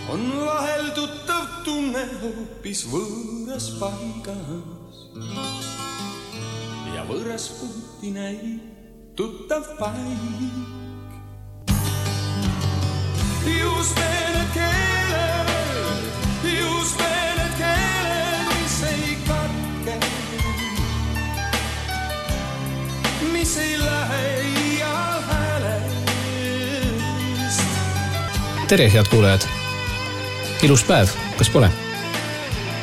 on vahel tuttav tunne hoopis võõras paigas ja võõras puuti näib tuttav paik. Just need keeled, mis ei katke, mis ei lähe iial häälest. Tere, head kuulajad! Ilus päev, kas pole?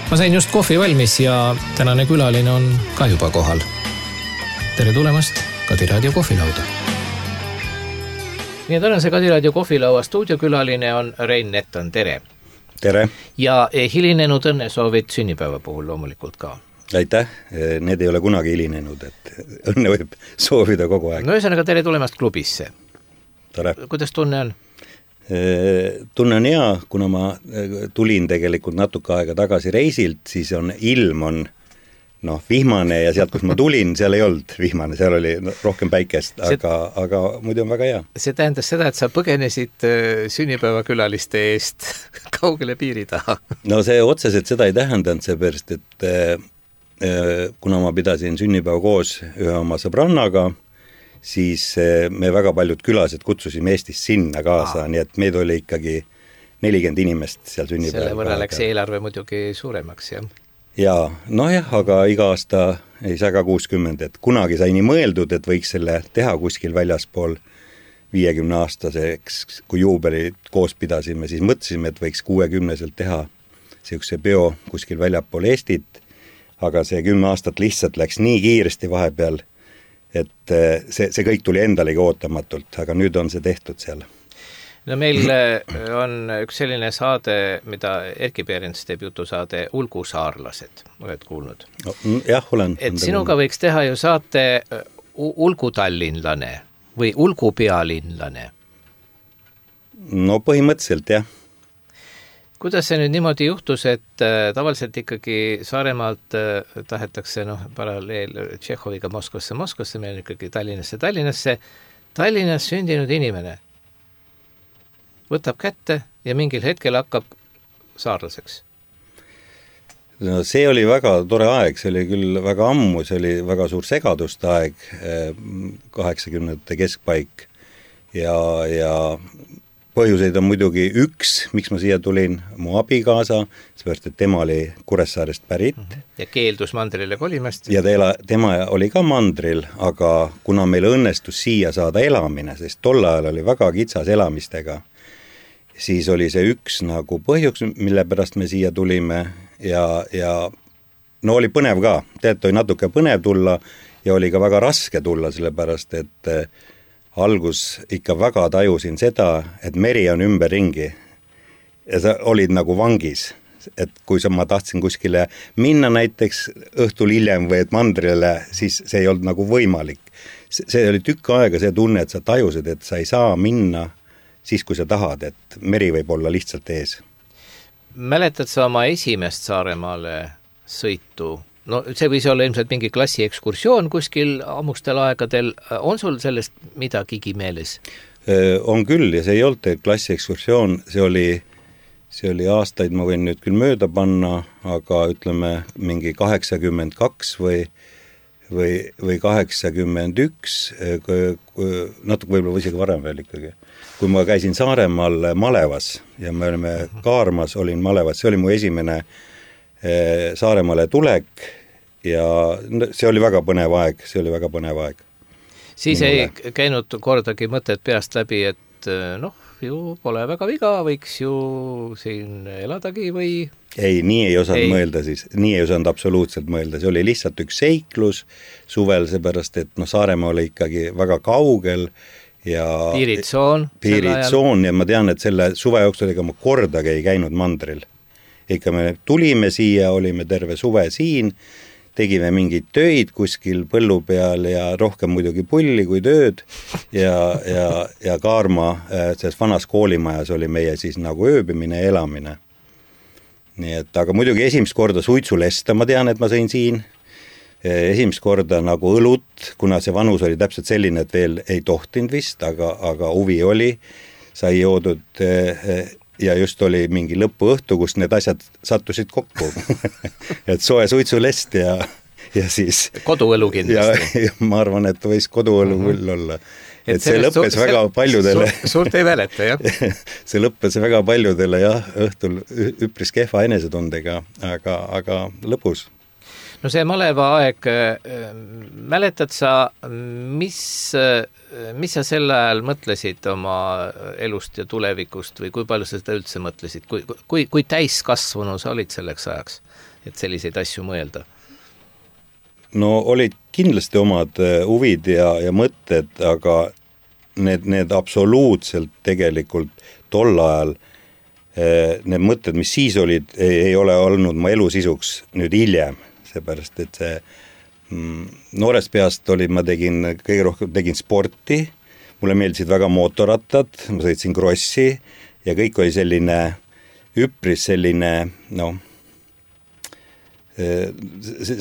Ma sain just kohvi valmis ja tänane külaline on ka juba kohal. Tere tulemast Kadi Raadio kohvilauda. Nii tänase Kadi Raadio kohvilaua stuudiokülaline on Rein Nettan, tere! Tere! Ja hilinenud õnnesoovid sünnipäeva puhul loomulikult ka. Aitäh, need ei ole kunagi hilinenud, et õnne võib soovida kogu aeg. No ühesõnaga tere tulemast klubisse. Tore! Kuidas tunne on? Tunne on hea, kuna ma tulin tegelikult natuke aega tagasi reisilt, siis on ilm on vihmane ja sealt, kus ma tulin, seal ei olnud vihmane, seal oli rohkem päikest, aga muidu on väga hea. See tähendas seda, et sa põgenesid sünnipäevakülaliste eest kaugele piiri taha. No see otseselt seda ei tähendanud, seepärast, et kuna ma pidasin sünnipäeva koos ühe oma sõbrannaga, siis me väga paljud külased kutsusime Eestist sinna kaasa, nii et meid oli ikkagi 40 inimest seal sünnipäeva. Selle võrra läks eelarve muidugi suuremaks, jah? Jaa, aga iga aasta ei saa ka 60, et kunagi sai nii mõeldud, et võiks selle teha kuskil väljaspool 50-aastaseks, kui juubelit koos pidasime, siis mõtlesime, et võiks 60-selt teha sellise peo kuskil väljapool Eestit, aga see 10 aastat lihtsalt läks nii kiiresti vahepeal, et see kõik tuli endalegi ootamatult, aga nüüd on see tehtud seal. No meil on üks selline saade, mida Erki Peerens teeb jutusaade Ulgusaarlased, oled kuulnud? Jah, olen. Et sinuga võiks teha ju saate Ulgutallinlane või Ulgupealinlane? No põhimõtteliselt, jah. Kuidas see nüüd niimoodi juhtus, et tavaliselt ikkagi Saaremaalt tahetakse paralleel Tšehhoviga Moskvasse, meil on ikkagi Tallinnas sündinud inimene võtab kätte ja mingil hetkel hakkab saarlaseks? No see oli väga tore aeg, see oli küll väga ammu, see oli väga suur segaduste aeg, 80-ndate keskpaik ja põhjuseid on muidugi üks, miks ma siia tulin, mu abikaasa, seepärast, et tema oli Kuressaarest pärit. Ja keeldus mandrile kolimast. Ja tema oli ka mandril, aga kuna meil õnnestus siia saada elamine, sest tol ajal oli väga kitsas elamistega, siis oli see üks nagu põhjuks, mille pärast me siia tulime ja oli põnev ka. Oli natuke põnev tulla ja oli ka väga raske tulla, sellepärast, et algus ikka väga tajusin seda, et meri on ümberringi ja sa olid nagu vangis. Et kui ma tahtsin kuskile minna näiteks õhtul hiljem või et mandrile, siis see ei olnud nagu võimalik. See oli tükk aega see tunne, et sa tajusid, et sa ei saa minna siis, kui sa tahad, et meri võib olla lihtsalt ees. Mäletad sa oma esimest Saaremaale sõitu? No see võis olla ilmselt mingi klassiekskursioon kuskil ammustel aegadel. On sul sellest midagigi meeles? On küll ja see ei olnud klassiekskursioon, see oli aastaid, ma võin nüüd küll mööda panna, aga ütleme mingi 82 või 81, natuke võib-olla isegi varem veel ikkagi. Kui ma käisin Saaremaal Malevas ja me olime Kaarmas, olin Malevas, see oli mu esimene Saaremaale tulek ja see oli väga põnev aeg, Siis ei käinud kordagi mõtet peast läbi, et ju pole väga viga, võiks ju siin eladagi või... Ei, nii ei osanud mõelda siis, nii ei osanud absoluutselt mõelda, see oli lihtsalt üks seiklus suvel, seepärast, et Saaremaa oli ikkagi väga kaugel ja piiritsoon ja ma tean, et selle suve jooksul ega ma kordagi ei käinud mandril. Ikka me tulime siia, olime terve suve siin, tegime mingeid töid kuskil põllu peal ja rohkem muidugi pulli kui tööd ja Kaarma selles vanas koolimajas oli meie siis nagu ööbimine ja elamine. Nii et, aga muidugi esimest korda suitsulesta, ma tean, et ma sõin siin. Esimest korda nagu õlut, kuna see vanus oli täpselt selline, et veel ei tohtinud vist, aga huvi oli. Sai joodud ja just oli mingi lõpuõhtu, kus need asjad sattusid kokku. Et soe suitsulest ja siis koduõlu kindlasti. Ja ma arvan, et võis koduõlu küll olla. Et see lõppes väga paljudele suurt ei mäleta, jah. See lõppes väga paljudele jah, õhtul üpris kehva enesetundega, aga lõpus. No see maleva aeg, mäletad sa, mis sa sel ajal mõtlesid oma elust ja tulevikust või kui palju sa seda üldse mõtlesid? Kui täiskasvanu sa olid selleks ajaks, et selliseid asju mõelda? No olid kindlasti omad huvid ja mõtted, aga need absoluutselt tegelikult tol ajal, need mõtted, mis siis olid, ei ole olnud mu elu sisuks nüüd hiljem. Seepärast, et see noorest peast ma kõige rohkem tegin sporti, mulle meeldisid väga mootorrattad, ma sõitsin krossi ja kõik oli selline üpris selline,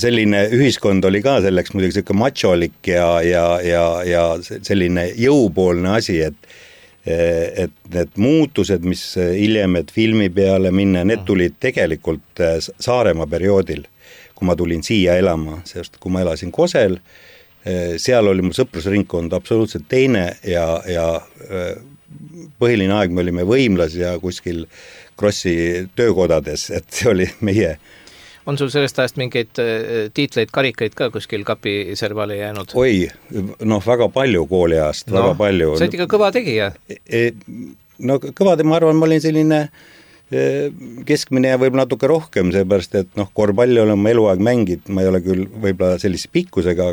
selline ühiskond oli ka selleks muidugi selline macholik ja selline jõupoolne asi, et need muutused, mis hiljem, et filmi peale minna, need tulid tegelikult Saaremaa perioodil, kui ma tulin siia elama, sest kui ma elasin Kosel, seal oli mu sõprusringkond absoluutselt teine ja põhiline aeg me olime Võimlas ja kuskil krossi töökodades, et see oli meie. On sul sellest ajast mingeid tiitleid, karikaid ka kuskil kapiservale jäänud? Oi, väga palju kooliajast, väga palju. Sa olid ikka kõva tegija? No kõva, ma arvan, ma olin selline keskmine ja võib natuke rohkem, seepärast, et korvpalli olen ma eluaeg mängid, ma ei ole küll võib-olla sellise pikkusega,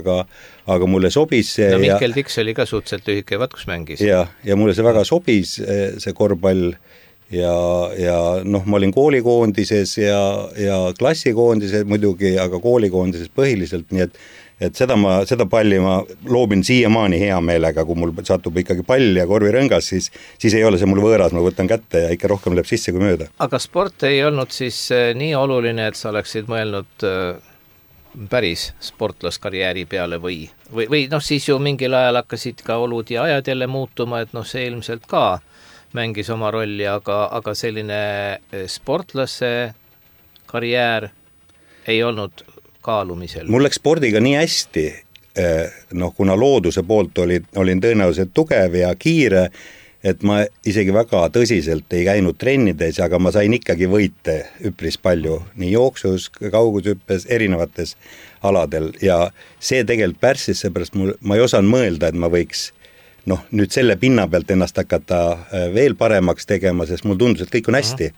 aga mulle sobis see. No Mihkel Tiks oli ka suhteliselt lühike, vaat kus mängis. Ja mulle see väga sobis, see korvpall ja ma olin koolikoondises ja klassikoondises muidugi, aga koolikoondises põhiliselt, nii et seda palli ma loobin siiamaani hea meelega, kui mul satub ikkagi pall ja korvirõngas, siis ei ole see mul võõras, ma võtan kätte ja ikka rohkem läheb sisse kui mööda. Aga sport ei olnud siis nii oluline, et sa oleksid mõelnud päris sportlaskarjääri peale või siis ju mingil ajal hakkasid ka olud ja ajad jälle muutuma, et see ilmselt ka mängis oma rolli, aga selline sportlase karjäär ei olnud kaalumisel. Mul läks spordiga nii hästi, kuna looduse poolt olin tõenäoliselt tugev ja kiire, et ma isegi väga tõsiselt ei käinud trennides, aga ma sain ikkagi võite üpris palju, nii jooksus, kaugushüppes, erinevates aladel ja see tegelikult pärssis, seepärast ma ei osanud mõelda, et ma võiks nüüd selle pinna pealt ennast hakata veel paremaks tegema, sest mul tundus, et kõik on hästi.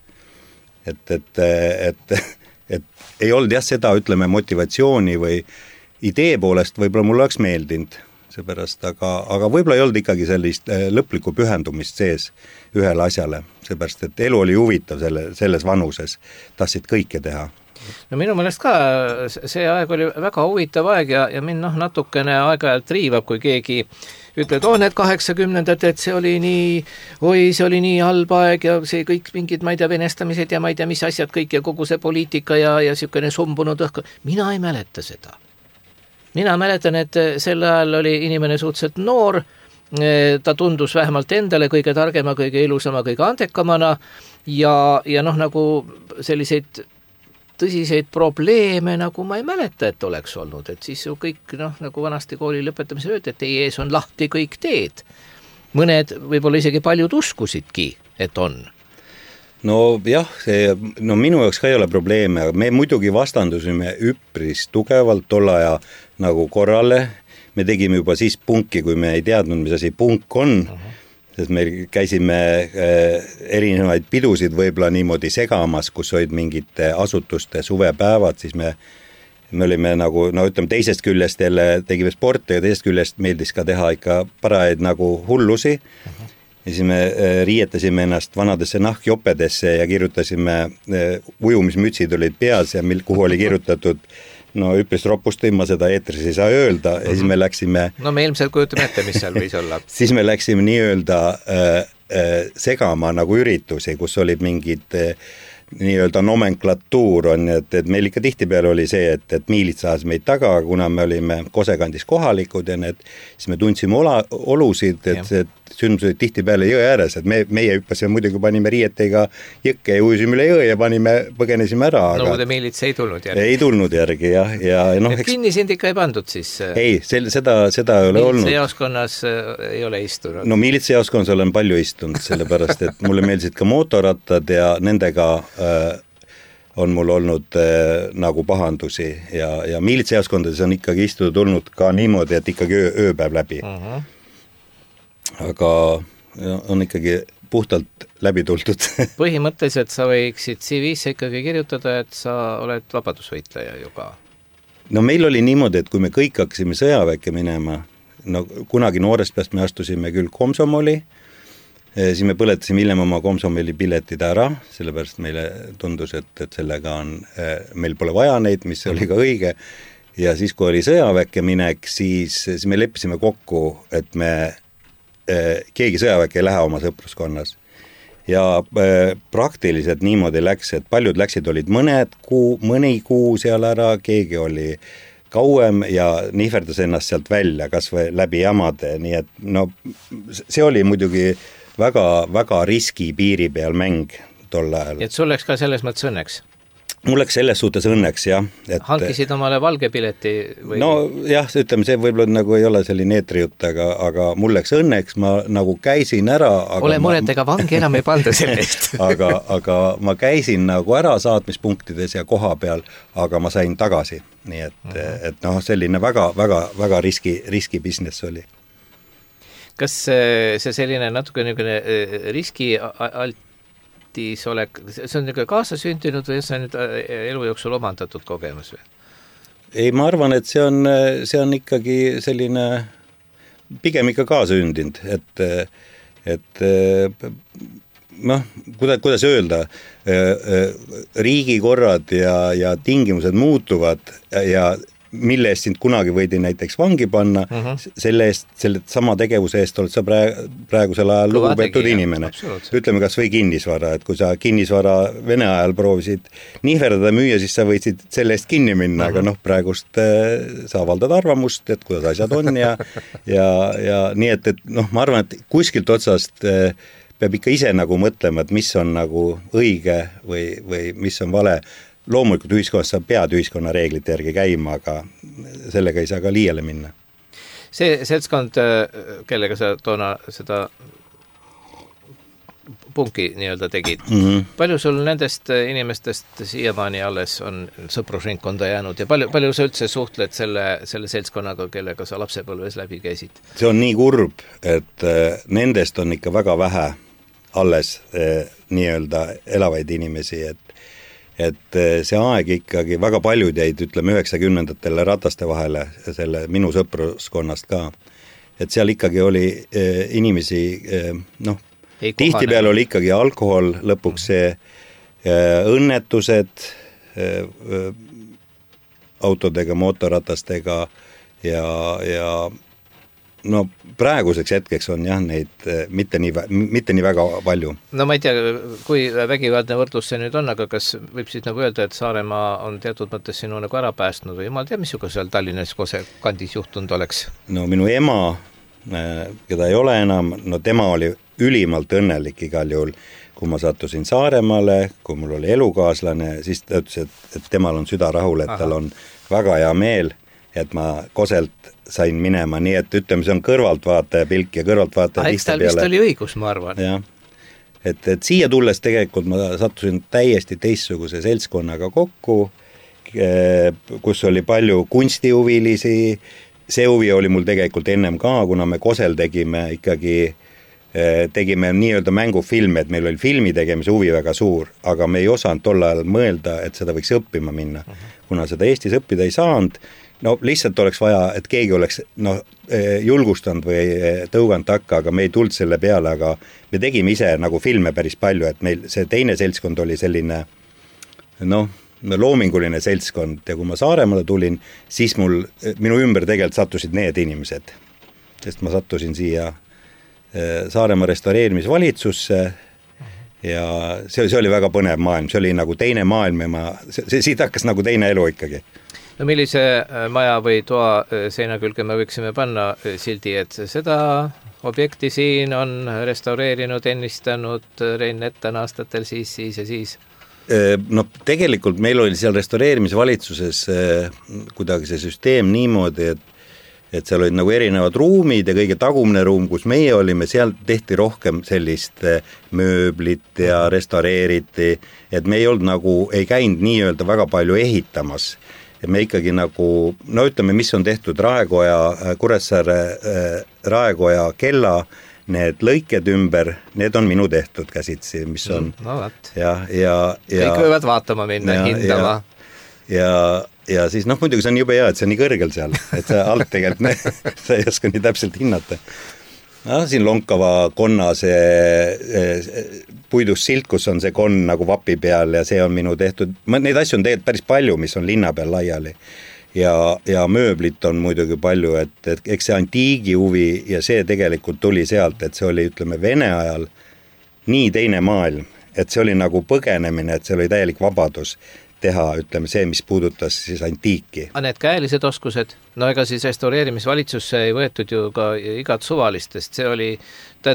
Et ei olnud jah seda, ütleme, motivatsiooni või idee poolest võib-olla mul oleks meeldinud seepärast, aga võib-olla ei olnud ikkagi sellist lõplikku pühendumist sees ühele asjale, seepärast, et elu oli huvitav selles vanuses, tahtsid kõike teha. No minu meelest ka see aeg oli väga huvitav aeg ja mind natukene aeg-ajalt riivab, kui keegi ütled, need 80-ndad, et see oli nii halb aeg ja see kõik mingid, ma ei tea, venestamised ja ma ei tea, mis asjad kõik ja kogu see poliitika ja niisugune sumbunud õhku. Mina ei mäleta seda. Mina mäletan, et sel ajal oli inimene suhteliselt noor, ta tundus vähemalt endale kõige targema, kõige ilusama, kõige andekamana ja nagu selliseid tõsiseid probleeme, nagu ma ei mäleta, et oleks olnud, et siis ju kõik, nagu vanasti kooli lõpetamisel öeldi, et teie ees on lahti kõik teed. Mõned võib-olla isegi paljud uskusidki, et on. No jah, minu jaoks ka ei ole probleeme, aga me muidugi vastandusime üpris tugevalt tolle aja nagu korrale. Me tegime juba siis punki, kui me ei teadnud, mis asi punk on. Sest me käisime erinevaid pidusid võib-olla niimoodi segamas, kus olid mingite asutuste suvepäevad, siis me olime nagu, ütleme teisest küljest jälle tegime sporti ja teisest küljest meeldis ka teha ikka parajaid nagu hullusi. Ja siis me riietasime ennast vanadesse nahkjopedesse ja kirjutasime, ujumismütsid olid peas ja kuhu oli kirjutatud üpris ropusti, ma seda eetris ei saa öelda ja siis me läksime... me ilmselt kujutame ette, mis seal võis olla. Siis me läksime nii-öelda segama nagu üritusi, kus olid mingid nii-öelda nomenklatuur on, et meil ikka tihtipeale oli see, et miilid saas meid taga, kuna me olime Kosekandis kohalikud ja siis me tundsime olusid, et sündmused olid tihtipeale jõe ääres, et meie hüppasime muidugi, panime riietega jõkke ja ujusime üle jõe ja põgenesime ära. Nõukogude miilits ei tulnud järgi? Ei tulnud järgi, jah. Ja, kinni sind ikka ei pandud siis? Ei, seda ei ole olnud. Miilitsejaoskonnas ei ole istunud? No miilitsejaoskonnas olen palju istunud, sellepärast, et mulle meeldisid ka mootorrattad ja nendega on mul olnud nagu pahandusi ja miilitsejaoskondades on ikkagi istunud olnud ka niimoodi, et ikkagi ööpäev läbi. Aga on ikkagi puhtalt läbi tuldud. Põhimõtteliselt sa võiksid CV-sse ikkagi kirjutada, et sa oled vabadusvõitleja ju ka. No meil oli niimoodi, et kui me kõik hakkasime sõjaväkke minema, no kunagi noorest peast me astusime küll komsomoli, siis me põletasime hiljem oma komsomoli piletid ära, sellepärast meile tundus, et sellega on, meil pole vaja neid, mis oli ka õige. Ja siis, kui oli sõjaväkke minek, siis me leppisime kokku, et me keegi sõjaväkke ei lähe oma sõpruskonnas. Ja praktiliselt niimoodi läks, et paljud läksid, olid mõni kuu seal ära, keegi oli kauem ja nihverdas ennast sealt välja, kas või läbi jamade, nii et no see oli muidugi väga riski piiri peal mäng tol ajal. Et sul läks ka selles mõttes õnneks? Mul läks selles suhtes õnneks, jah. Hankisid omale valge pileti? Või... No jah, ütleme, see võib-olla nagu ei ole selline eetrijutt, aga mul läks õnneks, ma nagu käisin ära. Ole muret, ega vangi enam ei panda sellest. aga ma käisin nagu ära saatmispunktides ja koha peal, aga ma sain tagasi. Nii et noh, selline väga riski business oli. Kas see selline natuke riski olek, see on kaasasündinud või see on nüüd elu jooksul omandatud kogemus või? Ei, ma arvan, et see on ikkagi selline pigem ikka kaasasündinud, et noh, kuidas öelda, riigikorrad ja tingimused muutuvad ja mille eest sind kunagi võidi näiteks vangi panna, selle sama tegevuse eest oled sa praegusel ajal lugupeetud inimene. Ütleme kas või kinnisvara, et kui sa kinnisvara Vene ajal proovisid nihverdada müüa, siis sa võisid selle eest kinni minna, aga noh, praegust sa avaldad arvamust, et kuidas asjad on ja nii, et noh, ma arvan, et kuskilt otsast peab ikka ise nagu mõtlema, et mis on nagu õige või mis on vale. Loomulikult ühiskonnas sa pead ühiskonna reeglite järgi käima, aga sellega ei saa ka liiale minna. See seltskond, kellega sa toona seda punki nii-öelda tegid, palju sul nendest inimestest siiamaani alles on sõprusringkonda jäänud ja palju sa üldse suhtled selle seltskonnaga, kellega sa lapsepõlves läbi käisid? See on nii kurb, et nendest on ikka väga vähe alles nii-öelda elavaid inimesi, et see aeg ikkagi, väga paljud jäid, ütleme, 90-ndatele rataste vahele, selle minu sõpruskonnast ka. Et seal ikkagi oli inimesi, noh, tihtipeale oli ikkagi alkohol, lõpuks see õnnetused autodega, mootorratastega ja no praeguseks hetkeks on jah neid mitte nii väga palju. No ma ei tea, kui vägivaldne võrdlus see nüüd on, aga kas võib siis nagu öelda, et Saaremaa on teatud mõttes sinu nagu ära päästnud või ma ei tea, mis juba seal Tallinnas Kose kandis juhtunud oleks? No minu ema, keda ei ole enam, no tema oli ülimalt õnnelik igal juhul, kui ma sattusin Saaremaale, kui mul oli elukaaslane, siis ta ütles, et temal on süda rahul, et tal on väga hea meel, et ma Koselt sain minema, nii et ütleme, see on kõrvaltvaataja pilk ja kõrvaltvaataja eks tal vist oli õigus, ma arvan. Ja. Et siia tulles tegelikult ma sattusin täiesti teistsuguse seltskonnaga kokku, kus oli palju kunstihuvilisi, see huvi oli mul tegelikult ennem ka, kuna me Kosel tegime nii-öelda mängufilme, et meil oli filmi tegemise huvi väga suur, aga me ei osanud tol ajal mõelda, et seda võiks õppima minna. Kuna seda Eestis õppida ei saanud, no lihtsalt oleks vaja, et keegi oleks julgustanud või tõuganud takka, aga me ei tulnud selle peale, aga me tegime ise nagu filme päris palju, et meil see teine seltskond oli selline loominguline seltskond ja kui ma Saaremaale tulin, siis minu ümber tegelikult sattusid need inimesed, sest ma sattusin siia Saaremaa restaureerimisvalitsusse ja see oli väga põnev maailm, see oli nagu teine maailm ja siit hakkas nagu teine elu ikkagi. No millise maja või toa seina külge me võiksime panna sildi, et seda objekti siin on restaureerinud, ennistanud Rein Nettan aastatel siis ja siis? No tegelikult meil oli seal restaureerimisvalitsuses kuidagi see süsteem niimoodi, et seal olid nagu erinevad ruumid ja kõige tagumine ruum, kus meie olime, seal tehti rohkem sellist mööblit ja restaureeriti, et me ei olnud nagu, ei käinud nii-öelda väga palju ehitamas. Et me ikkagi nagu, no ütleme, mis on tehtud Raekoja, Kuressaare Raekoja kella, need lõiked ümber, need on minu tehtud käsitsi, mis on no võt. Kõik võivad vaatama minna, hindama. Ja siis muidugi see on jube hea, et see on nii kõrgel seal, et see alt tegelikult sa ei oska nii täpselt hinnata. Siin lonkava konna see puidust silt, kus on see konn nagu vapi peal ja see on minu tehtud. Neid asju on tegelikult päris palju, mis on linna peal laiali. Ja mööblit on muidugi palju, et eks see antiigi huvi ja see tegelikult tuli sealt, et see oli, ütleme, Vene ajal nii teine maailm, et see oli nagu põgenemine, et see oli täielik vabadus teha, ütleme, see, mis puudutas siis antiiki. Need käelised oskused, no ega siis restaureerimisvalitsusse ei võetud ju ka igat suvalistest, see oli,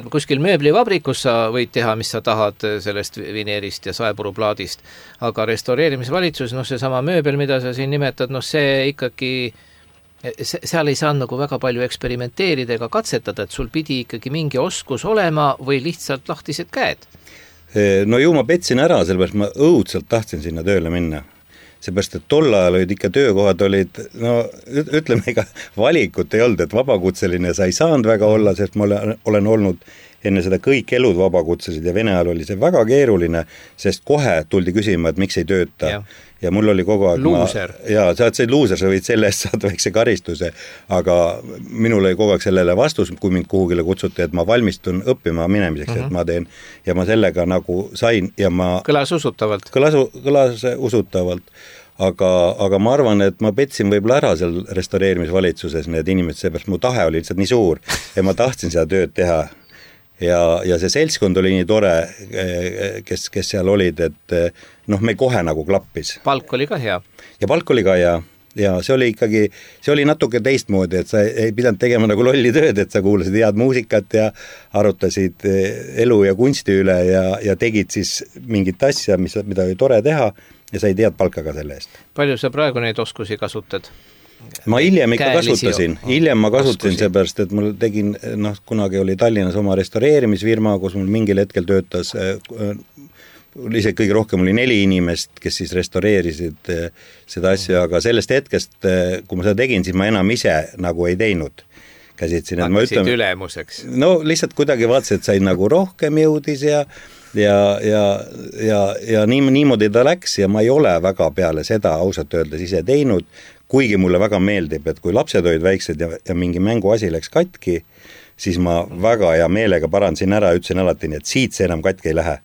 kuskil mööblivabrikus sa võid teha, mis sa tahad sellest vineerist ja saepuruplaadist, aga restaureerimisvalitsus, see sama mööbel, mida sa siin nimetad, see ikkagi, seal ei saanud nagu väga palju eksperimenteerida ega katsetada, et sul pidi ikkagi mingi oskus olema või lihtsalt lahtised käed. No ju ma petsin ära, sellepärast ma õudselt tahtsin sinna tööle minna. Seepärast, et tol ajal olid ikka töökohad olid, ütleme, ega valikut ei olnud, et vabakutseline sa ei saanud väga olla, sest ma olen olnud enne seda kõik elud vabakutselised ja Vene ajal oli see väga keeruline, sest kohe tuldi küsima, et miks ei tööta. Ja mul oli kogu aeg... Luuser. Sa oled luuser, sa võid selle eest saada väikse karistuse, aga minul oli kogu aeg sellele vastus, kui mind kuhugile kutsuti, et ma valmistun õppima minemiseks, et ma teen, ja ma sellega nagu sain ja ma... Kõlas usutavalt. Kõlas usutavalt, aga ma arvan, et ma petsin võib-olla ära seal restaureerimisvalitsuses need inimesed, seepärast mu tahe oli lihtsalt nii suur ja ma tahtsin seda tööd teha. Ja see seltskond oli nii tore, kes seal olid, et me kohe nagu klappis. Palk oli ka hea. Ja palk oli ka hea. Ja see oli ikkagi, see oli natuke teistmoodi, et sa ei pidanud tegema nagu lolli tööd, et sa kuulasid head muusikat ja arutasid elu ja kunsti üle ja tegid siis mingit asja, mida oli tore teha ja sa ei tead palka ka selle eest. Palju sa praegu neid oskusi kasutad? Ma hiljem ikka kasutasin, seepärast, et mul tegin, kunagi oli Tallinnas oma restaureerimisfirma, kus mul mingil hetkel töötas, isegi kõige rohkem oli 4 inimest, kes siis restaureerisid seda asja, aga sellest hetkest, kui ma seda tegin, siis ma enam ise nagu ei teinud. Hakkasid ülemuseks. No lihtsalt kuidagi vaatasid, et sai nagu rohkem jõudis ja niimoodi ta läks ja ma ei ole väga peale seda ausalt öeldes ise teinud, kuigi mulle väga meeldib, et kui lapsed olid väiksed ja mingi mänguasi läks katki, siis ma väga hea meelega parandasin ära, ütlesin alati nii, et siit see enam katki ei lähe.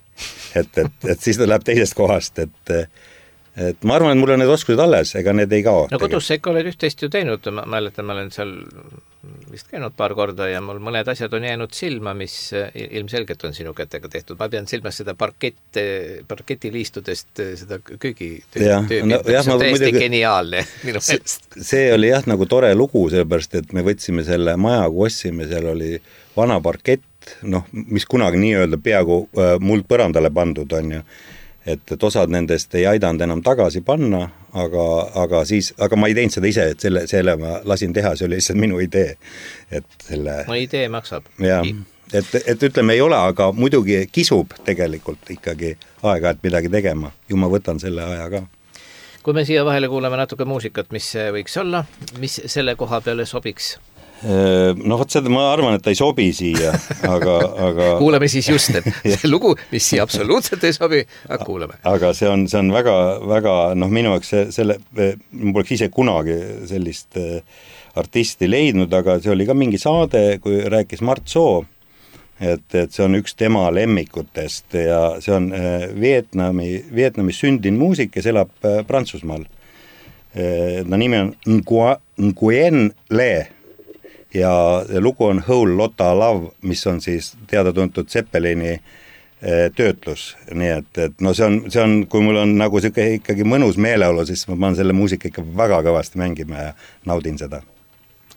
Et siis ta läheb teisest kohast, et ma arvan, et mul on need oskused alles, ega need ei kao. No kodus sa ikka oled üht-teist ju teinud, ma mäletan, ma olen seal vist käinud paar korda ja mul mõned asjad on jäänud silma, mis ilmselgelt on sinu kätega tehtud. Ma pean silmas seda parketiliistudest, seda köögitööbi, mis on täiesti geniaalne minu meelest. See oli jah nagu tore lugu, sellepärast, et me võtsime selle maja, kui ostsime, seal oli vana parkett, mis kunagi nii-öelda peaaegu muld põrandale pandud on ju. Et osad nendest ei aidanud enam tagasi panna, aga ma ei teinud seda ise, et selle ma lasin teha, see oli lihtsalt minu idee. No idee maksab. Ja, et ütleme ei ole, aga muidugi kisub tegelikult ikkagi aega, et midagi tegema. Ju ma võtan selle aja ka. Kui me siia vahele kuuleme natuke muusikat, mis võiks olla, mis selle koha peale sobiks? Vot seda ma arvan, et ta ei sobi siia, aga kuulame siis just, et see lugu, mis siia absoluutselt ei sobi, aga kuulame. Aga see on väga, väga, minu jaoks ma poleks ise kunagi sellist artisti leidnud, aga see oli ka mingi saade, kui rääkis Mart Soo, et see on üks tema lemmikutest ja see on Vietnamis sündinud muusik, kes elab Prantsusmaal. Nimi on Nguyen Le. Ja lugu on Whole Lotta Love, mis on siis teada tuntud Zeppelini töötlus, nii et no see on, kui mul on nagu siuke ikkagi mõnus meeleolu, siis ma panen selle muusika ikka väga kõvasti mängima ja naudin seda.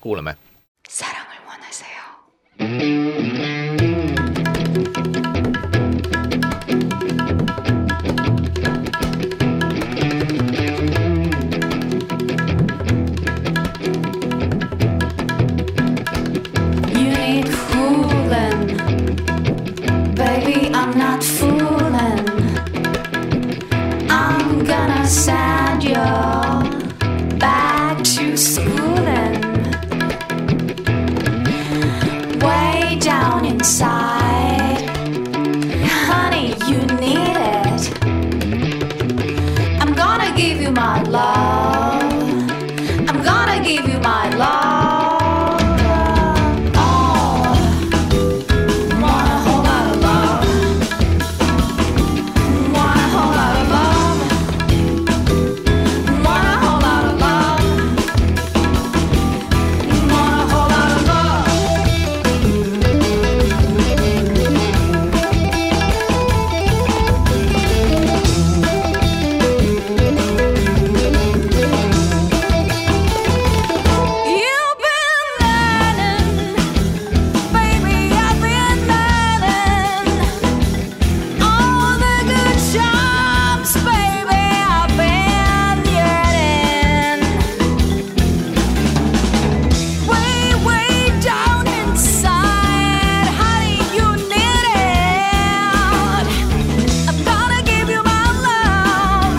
Kuuleme. 사랑을 원하세요. You need cooling, baby. I'm not fooling. I'm gonna send you back to schooling. Way down inside, honey, you need it. I'm gonna give you my love. I'm gonna give you my love. Oh, want a whole lot of love. Want a whole lot of love. Want a whole lot of love. Want a whole lot of love. You've been learning, baby, I've been learning all the good jobs, baby, I've been yearning. Way, way down inside, honey, you need it. I'm gonna give you my love.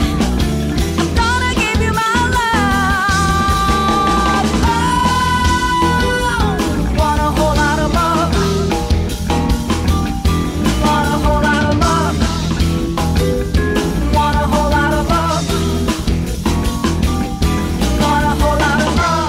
I'm gonna give you my love. Oh, want a whole lot of love. Want a whole lot of love. Want a whole lot of love. Want a whole lot of love.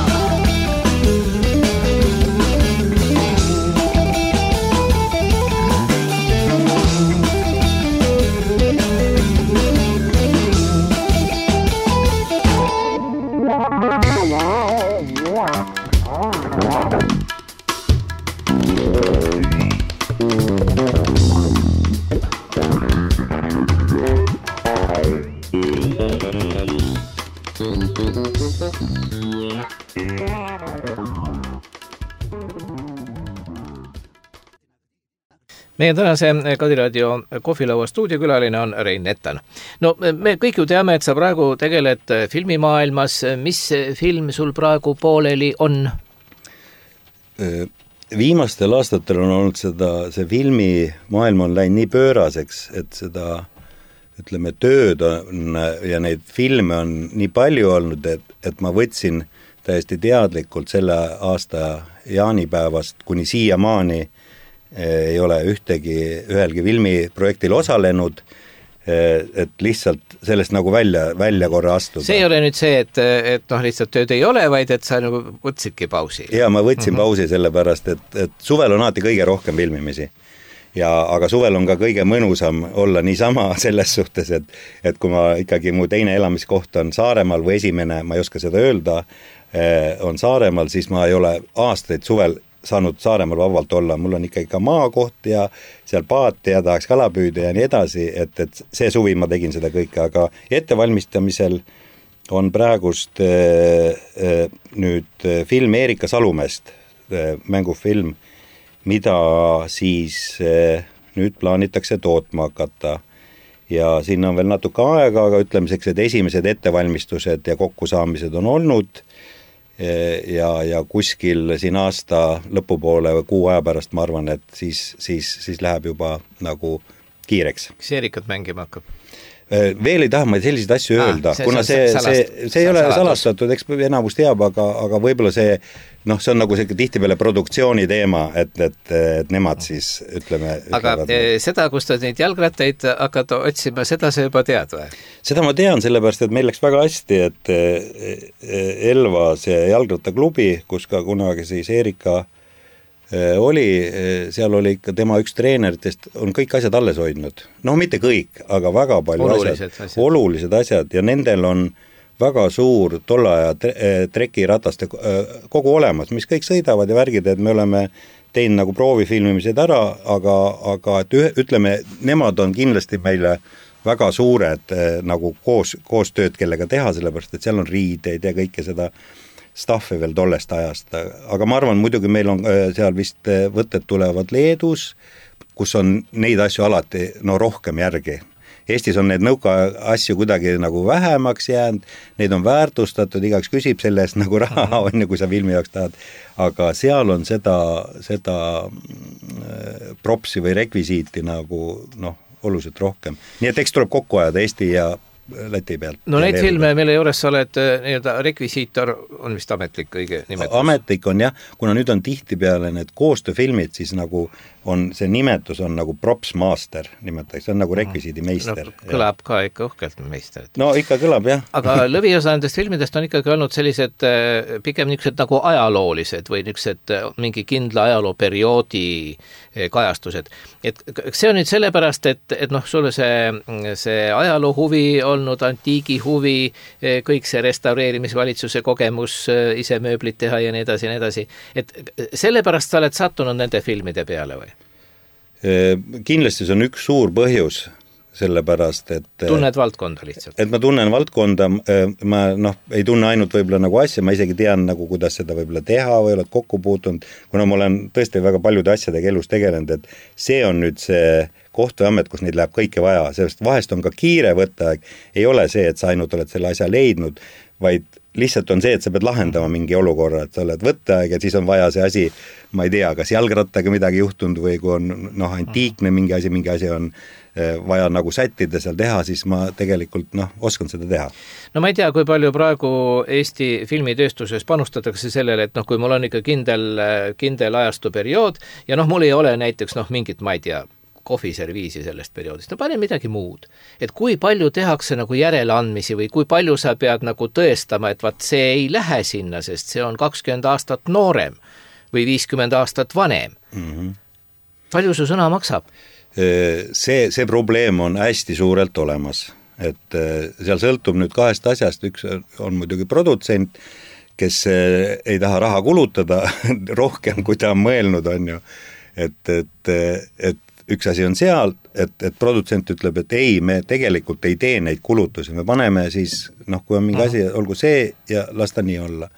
Meie tänase Kadiraadio kohvilaua stuudiokülaline on Rein Nettan. No me kõik ju teame, et sa praegu tegeled filmimaailmas. Mis film sul praegu pooleli on? Viimastel aastatel on olnud see filmimaailm on läinud nii pööraseks, et seda, ütleme, tööd on ja neid filme on nii palju olnud, et ma võtsin täiesti teadlikult selle aasta jaanipäevast kuni siiamaani ei ole ühelgi filmiprojektil osalenud, et lihtsalt sellest nagu välja korra astuda. See ei ole nüüd see, et noh, lihtsalt tööd ei ole, vaid et sa nagu võtsidki pausi. Ja ma võtsin pausi sellepärast, et suvel on alati kõige rohkem filmimisi. Aga suvel on ka kõige mõnusam olla niisama selles suhtes, et kui ma ikkagi mu teine elamiskoht on Saaremaal või esimene, ma ei oska seda öelda, on Saaremaal, siis ma ei ole aastaid suvel saanud Saaremaal vabalt olla, mul on ikkagi ka maakoht ja seal paati ja tahaks kalapüüda ja nii edasi, et see suvi ma tegin seda kõike, aga ettevalmistamisel on praegust nüüd film Eerika Salumest, mängufilm, mida siis nüüd plaanitakse tootma hakata. Ja siin on veel natuke aega, aga ütlemiseks, et esimesed ettevalmistused ja kokkusaamised on olnud ja kuskil siin aasta lõpupoole või kuu aja pärast ma arvan, et siis läheb juba nagu kiireks. Kas Eerikat mängima hakkab? Veel ei taha ma selliseid asju öelda, kuna see ei ole salastatud, eks enamus teab, aga võib-olla see on nagu see tihtipeale produktsiooni teema, et nemad siis ütleme... Aga seda, kus ta neid jalgrattaid hakkad otsima, seda sa juba tead või? Seda ma tean, sellepärast, et meil läks väga hästi, et Elva see jalgrattaklubi, kus ka kunagi siis Eerika oli, seal oli ikka tema üks treeneritest, on kõik asjad alles hoidnud. No mitte kõik, aga väga palju olulised asjad ja nendel on väga suur tolle aja trekirataste kogu olemas, mis kõik sõidavad ja värgid, et me oleme teinud nagu proovifilmimised ära, aga et ütleme, nemad on kindlasti meile väga suured nagu koostööd, kellega teha, sellepärast, et seal on riideid ja kõike seda staffi veel tollest ajast. Aga ma arvan, muidugi meil on seal vist võtted tulevad Leedus, kus on neid asju alati rohkem järgi. Eestis on need nõuka asju kuidagi nagu vähemaks jäänud, neid on väärtustatud, igaks küsib selle eest nagu raha, kui sa filmi jaoks tahad, aga seal on seda propsi või rekvisiiti nagu oluliselt rohkem. Nii et eks tuleb kokku ajada Eesti ja Läti pealt. No neid filme, mille juures sa oled nii-öelda rekvisiitor, on vist ametlik õige nimetus? Ametlik on jah, kuna nüüd on tihtipeale need koostööfilmid, siis nagu on see nimetus on nagu props master nimetatakse, see on nagu rekvisiidi meister. No, kõlab ka ikka uhkelt meister. No ikka kõlab jah. Aga lõviosa nendest filmidest on ikkagi olnud sellised pigem niisugused nagu ajaloolised või niisugused mingi kindla ajalooperioodi kajastused. Et see on nüüd sellepärast, et sulle see ajaloo huvi olnud, antiigi huvi, kõik see restaureerimisvalitsuse kogemus, ise mööblit teha ja nii edasi. Et sellepärast sa oled sattunud nende filmide peale või? Kindlasti see on üks suur põhjus, sellepärast, et tunned valdkonda lihtsalt? Et ma tunnen valdkonda, ma ei tunne ainult võib-olla nagu asja, ma isegi tean nagu, kuidas seda võib-olla teha või oled kokku puutunud, kuna ma olen tõesti väga paljude asjadega elus tegelenud, et see on nüüd see koht või amet, kus neid läheb kõike vaja, sest vahest on ka kiire võtteaeg, ei ole see, et sa ainult oled selle asja leidnud, vaid lihtsalt on see, et sa pead lahendama mingi olukorra, et sa oled võtteaeg ja siis on vaja see asi, ma ei tea, kas jalgrattaga midagi juhtunud või kui on antiikne mingi asi on vaja nagu sättida seal teha, siis ma tegelikult oskan seda teha. No ma ei tea, kui palju praegu Eesti filmitööstuses panustatakse sellele, et kui mul on ikka kindel ajastu periood ja mul ei ole näiteks mingit, ma ei tea, kohviserviisi sellest perioodist, pane midagi muud. Et kui palju tehakse nagu järeleandmisi või kui palju sa pead nagu tõestama, et vaat see ei lähe sinna, sest see on 20 aastat noorem või 50 aastat vanem. Mm-hmm. Palju su sõna maksab? See probleem on hästi suurelt olemas, et seal sõltub nüüd kahest asjast, üks on muidugi produtsent, kes ei taha raha kulutada rohkem, kui ta on mõelnud, on ju, et üks asi on seal, et produtsent ütleb, et ei, me tegelikult ei tee neid kulutusi, me paneme siis, kui on mingi asi, olgu see ja las ta nii olla.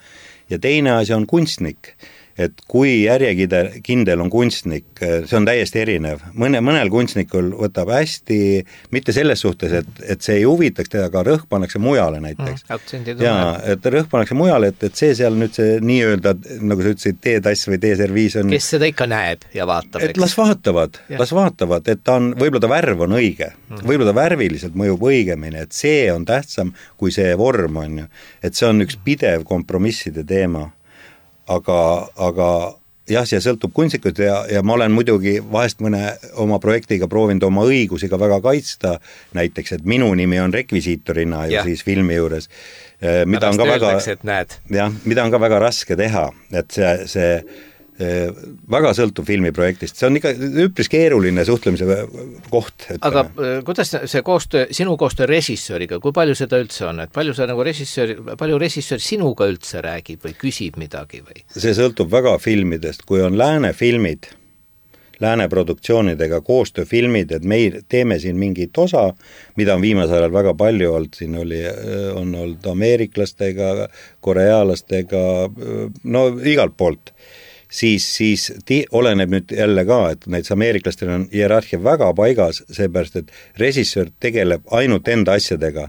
Ja teine asi on kunstnik, et kui järjekindel on kunstnik, see on täiesti erinev. Mõnel kunstnikul võtab hästi, mitte selles suhtes, et see ei huvitaks teda, aga rõhk pannakse mujale näiteks. Ja, et rõhk pannakse mujale, et see seal nüüd see nii-öelda, nagu sa ütlesid, teetass või teeserviis on... Kes seda ikka näeb ja vaatab? Et las vaatavad, et võib-olla ta värv on õige, võib-olla ta värviliselt mõjub õigemini, et see on tähtsam kui see vorm on ju. Et see on üks pidev kompromisside teema. Aga jah, see sõltub kunstnikud ja ma olen muidugi vahest mõne oma projektiga proovinud oma õigusi ka väga kaitsta, näiteks, et minu nimi on rekvisiitorina ju siis filmi juures, mida on ka väga raske teha, et see väga sõltub filmiprojektist, see on ikka üpris keeruline suhtlemise koht. Aga kuidas see koostöö, sinu koostöö režissööriga, kui palju seda üldse on, et palju režissöör sinuga üldse räägib või küsib midagi või? See sõltub väga filmidest, kui on lääne filmid, lääne produktsioonidega koostööfilmid, et me teeme siin mingit osa, mida on viimasel ajal väga palju olnud, siin on olnud ameeriklastega, koreaalastega, igalt poolt. Siis oleneb nüüd jälle ka, et näiteks ameeriklastel on hierarhia väga paigas, seepärast, et režissöör tegeleb ainult enda asjadega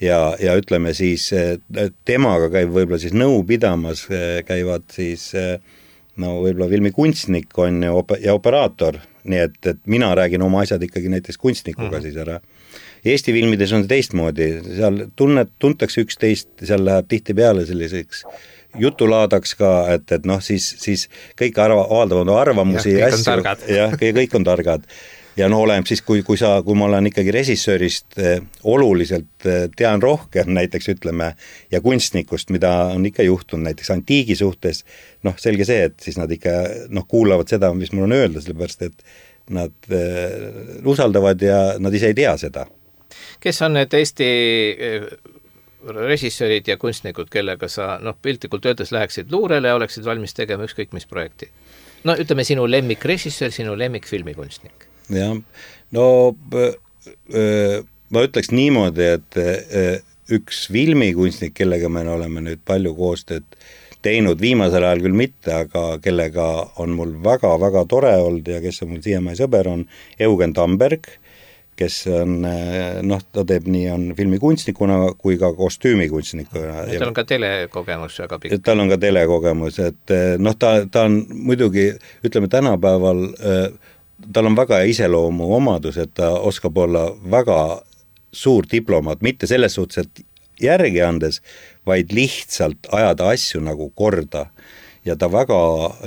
ja ütleme siis, temaga käib võib-olla siis nõu pidamas, käivad siis võib-olla filmi kunstnik on ja operaator, nii et mina räägin oma asjad ikkagi näiteks kunstnikuga siis ära. Eesti filmides on see teistmoodi, seal tuntakse üksteist, seal läheb tihti peale selliseks jutulaadaks ka, et siis kõik avaldavad arvamusi ja kõik on targad. Ja oleneb siis, kui ma olen ikkagi režissöörist oluliselt tean rohkem näiteks ütleme ja kunstnikust, mida on ikka juhtunud näiteks antiigi suhtes, selge see, et siis nad ikka kuulavad seda, mis mul on öelda, sellepärast, et nad usaldavad ja nad ise ei tea seda. Kes on need Eesti režissöörid ja kunstnikud, kellega sa piltlikult öeldes läheksid luurele ja oleksid valmis tegema ükskõik mis projekti? No ütleme sinu lemmikrežissöör, sinu lemmikfilmikunstnik. jah, no ma ütleks niimoodi, et üks filmikunstnik, kellega me oleme nüüd palju koostööd teinud, viimasel ajal küll mitte, aga kellega on mul väga-väga tore olnud ja kes on mul siiamaani sõber, on Eugen Tamberg, kes on, ta teeb nii on filmikunstnikuna kui ka kostüümikunstnikuna. Tal on ka telekogemus väga pikk. Tal on ka telekogemus, et ta on muidugi, ütleme tänapäeval, tal on väga iseloomu omadus, et ta oskab olla väga suur diplomaat, mitte selles suhtes, et järgi andes, vaid lihtsalt ajada asju nagu korda. Ja ta väga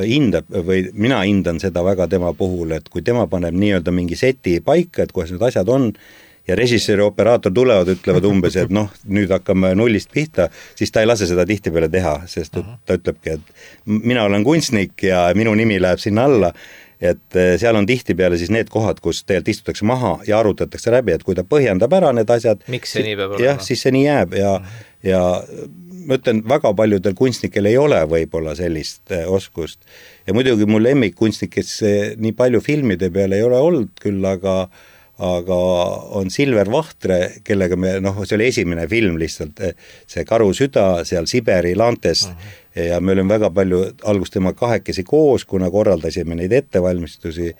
hindab, või mina hindan seda väga tema puhul, et kui tema paneb nii-öelda mingi seti paika, et kuidas need asjad on, ja režissöör ja operaator tulevad, ütlevad umbes, et nüüd hakkame nullist pihta, siis ta ei lase seda tihtipeale teha, sest ta ütlebki, et mina olen kunstnik ja minu nimi läheb sinna alla, et seal on tihtipeale siis need kohad, kus tegelikult istutakse maha ja arutatakse läbi, et kui ta põhjendab ära need asjad, miks see nii peab olema? Jah, siis see nii jääb ja ma ütlen, väga paljudel kunstnikel ei ole võib-olla sellist oskust. Ja muidugi mul lemmikkunstnik, kes nii palju filmide peale ei ole olnud küll, aga on Silver Vahtre, kellega me, see oli esimene film lihtsalt, see Karu süda seal Siberi laantest ja me olime väga palju algust tema kahekesi koos, kuna korraldasime neid ettevalmistusi,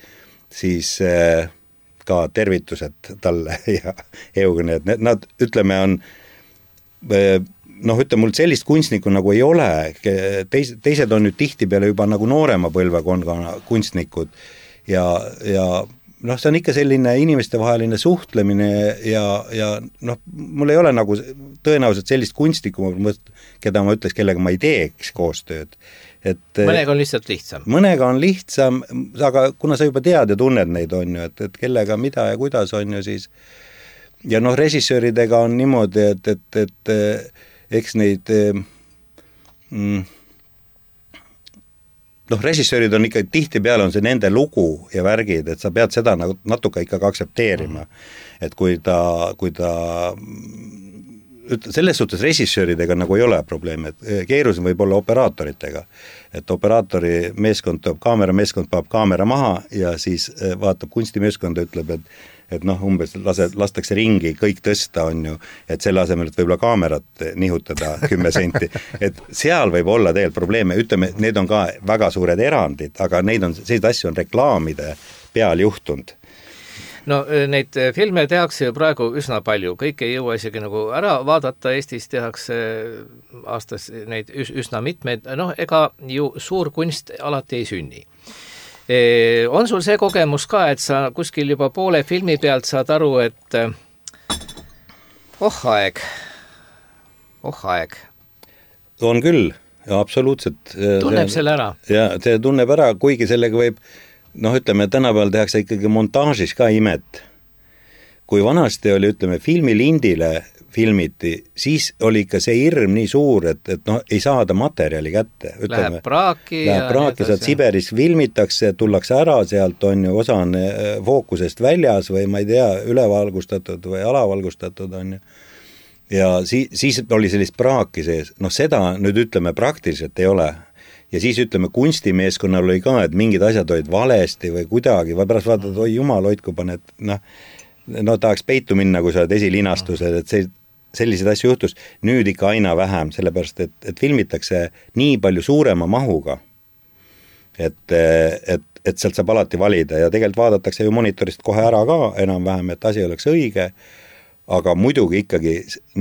siis ka tervitused talle ja Eugen, et nad, ütleme, on ütleme, mul sellist kunstnikku nagu ei ole, teised on nüüd tihtipeale juba nagu noorema põlvekonna kunstnikud ja see on ikka selline inimestevaheline suhtlemine ja mul ei ole nagu tõenäoliselt sellist kunstnikku, keda ma ütleks, kellega ma ei teeks koostööd. Mõnega on lihtsalt lihtsam. Mõnega on lihtsam, aga kuna sa juba tead ja tunned neid on ju, et kellega mida ja kuidas on ju siis ja režissööridega on niimoodi, et eks neid režissöörid on ikka tihtipeale on see nende lugu ja värgid, et sa pead seda nagu natuke ikkagi aktsepteerima. Et kui ta selles suhtes režissööridega nagu ei ole probleemi, et keerulisem võib olla operaatoritega. Et operaatori meeskond toob kaamerameeskond, paneb kaamera maha ja siis vaatab kunstimeeskond ja ütleb, et umbes lastakse ringi, kõik tõsta on ju, et selle asemel, et võib-olla kaamerat nihutada 10 senti. Et seal võib olla tegelikult probleeme, ütleme, need on ka väga suured erandid, aga sellised asju on reklaamide peal juhtunud. No neid filme tehakse ju praegu üsna palju, kõik ei jõua isegi nagu ära vaadata, Eestis tehakse aastas neid üsna mitmeid, ega ju suur kunst alati ei sünni. On sul see kogemus ka, et sa kuskil juba poole filmi pealt saad aru, et aeg. On küll, ja absoluutselt. Tunneb selle ära? Ja see tunneb ära, kuigi sellega võib ütleme, tänapäeval tehakse ikkagi montaažis ka imet. Kui vanasti oli, ütleme, filmilindile filmiti, siis oli ikka see hirm nii suur, et ei saada materjali kätte. Läheb praaki. Sealt Siberis filmitakse, tullakse ära sealt, on ju, osa on fookusest väljas või ma ei tea, ülevalgustatud või alavalgustatud on ju. Ja siis oli sellist praaki sees. Seda nüüd ütleme praktiliselt ei ole. Ja siis ütleme, kunstimeeskonnal oli ka, et mingid asjad olid valesti või kuidagi, või pärast vaatad, oi jumal, hoidku paned, tahaks peitu minna, kui sa oled esilinastused, et selliseid asju juhtus. Nüüd ikka aina vähem, sellepärast, et filmitakse nii palju suurema mahuga, et sealt saab alati valida ja tegelikult vaadatakse ju monitorist kohe ära ka enam-vähem, et asi oleks õige, aga muidugi ikkagi,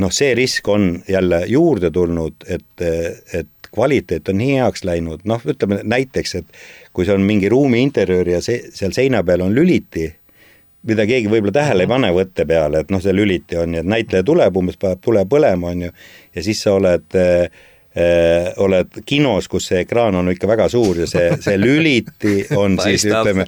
see risk on jälle juurde tulnud, et kvaliteet on nii heaks läinud, ütleme näiteks, et kui see on mingi ruumi interjöör ja seal seina peal on lüliti, mida keegi võib-olla tähele ei pane võtte peale, et see lüliti on, et näitleja tuleb, umbes paneb tule põlema on ju, ja siis sa oled kinos, kus see ekraan on ikka väga suur ja see lüliti on siis ütleme,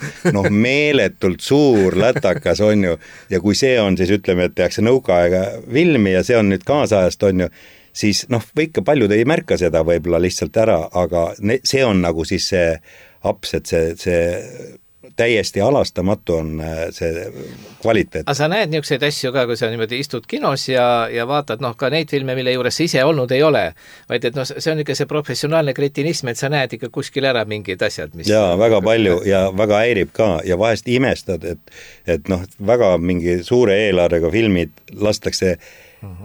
meeletult suur lätakas on ju, ja kui see on siis ütleme, et tehakse nõukaaega filmi ja see on nüüd kaasajast on ju, siis ikka paljud ei märka seda võib-olla lihtsalt ära, aga see on nagu siis see aps, et see täiesti alastamatu on see kvaliteet. aga sa näed niisuguseid asju ka, kui sa niimoodi istud kinos ja vaatad ka neid filme, mille juures sa ise olnud ei ole, vaid et see on ikka see professionaalne kretinism, et sa näed ikka kuskil ära mingid asjad, mis jaa, väga palju ja väga häirib ka ja vahest imestad, et väga mingi suure eelarvega filmid lastakse.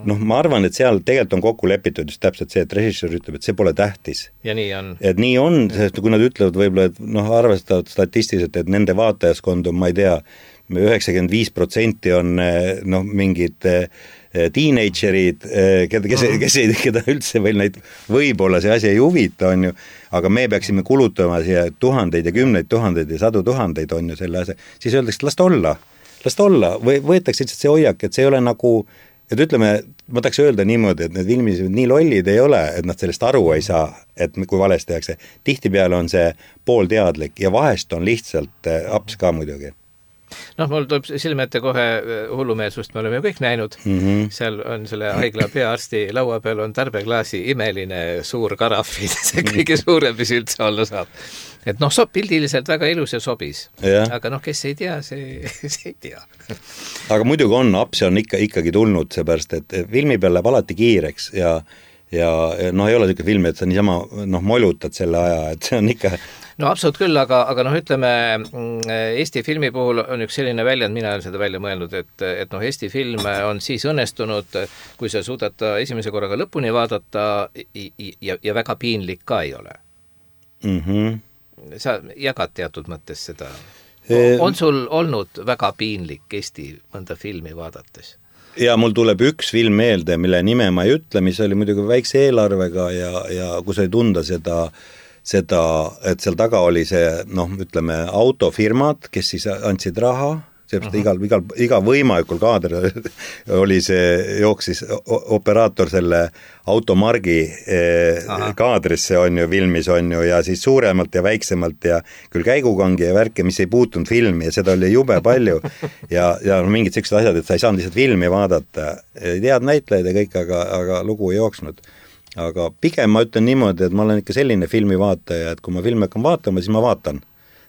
Ma arvan, et seal tegelikult on kokku lepitud just täpselt see, et režissöör ütleb, et see pole tähtis. Ja nii on. Et nii on, sest kui nad ütlevad võib-olla, et arvestavad statistiliselt, et nende vaatajaskond on, ma ei tea, 95% on mingid teenagerid, keda üldse veel neid võib-olla see asi ei huvita, on ju, aga me peaksime kulutama siia tuhandeid ja kümneid tuhandeid ja sadu tuhandeid, on ju selle asja, siis öeldakse, last olla, või võetakse lihtsalt see hoiak, et see ei ole nagu, et ütleme, ma tahaks öelda niimoodi, et need filmid nii lollid ei ole, et nad sellest aru ei saa, et kui valesti tehakse. Tihtipeale on see poolteadlik ja vahest on lihtsalt aps ka muidugi. Mul tuleb silme ette kohe hullumeelsust, me oleme ju kõik näinud. Seal on selle haigla peaarsti laua peal on tarbeklaasi imeline suur karafil, see kõige suurem, mis üldse olla saab. Et pildiliselt väga ilus ja sobis. Aga kes ei tea, see ei tea. Aga muidugi on, apse on ikkagi tulnud seepärast, et filmi peal läheb alati kiireks ja ei ole selline film, et sa niisama molutad selle aja, et see on ikka... absoluut küll, aga ütleme, Eesti filmi puhul on üks selline väljend, mina olen seda välja mõelnud, et Eesti film on siis õnnestunud, kui sa suudad ta esimese korraga lõpuni vaadata ja väga piinlik ka ei ole. Sa jagad teatud mõttes seda. On sul olnud väga piinlik Eesti mõnda filmi vaadates? Ja mul tuleb üks film meelde, mille nime ma ei ütle, mis oli muidugi väikse eelarvega ja kus ei tunda seda, et seal taga oli see, ütleme, autofirmad, kes siis andsid raha, iga võimalikul kaader oli see, jooksis operaator selle automargi kaadrisse on ju, filmis on ju, ja siis suuremalt ja väiksemalt ja küll käigukangi ja värke, mis ei puutunud filmi ja seda oli jube palju ja mingid sellised asjad, et sa ei saanud lihtsalt filmi vaadata, ei tead näitlejaid ja kõik, aga lugu ei jooksnud. Aga pigem ma ütlen niimoodi, et ma olen ikka selline filmivaataja, et kui ma filmi hakkan vaatama, siis ma vaatan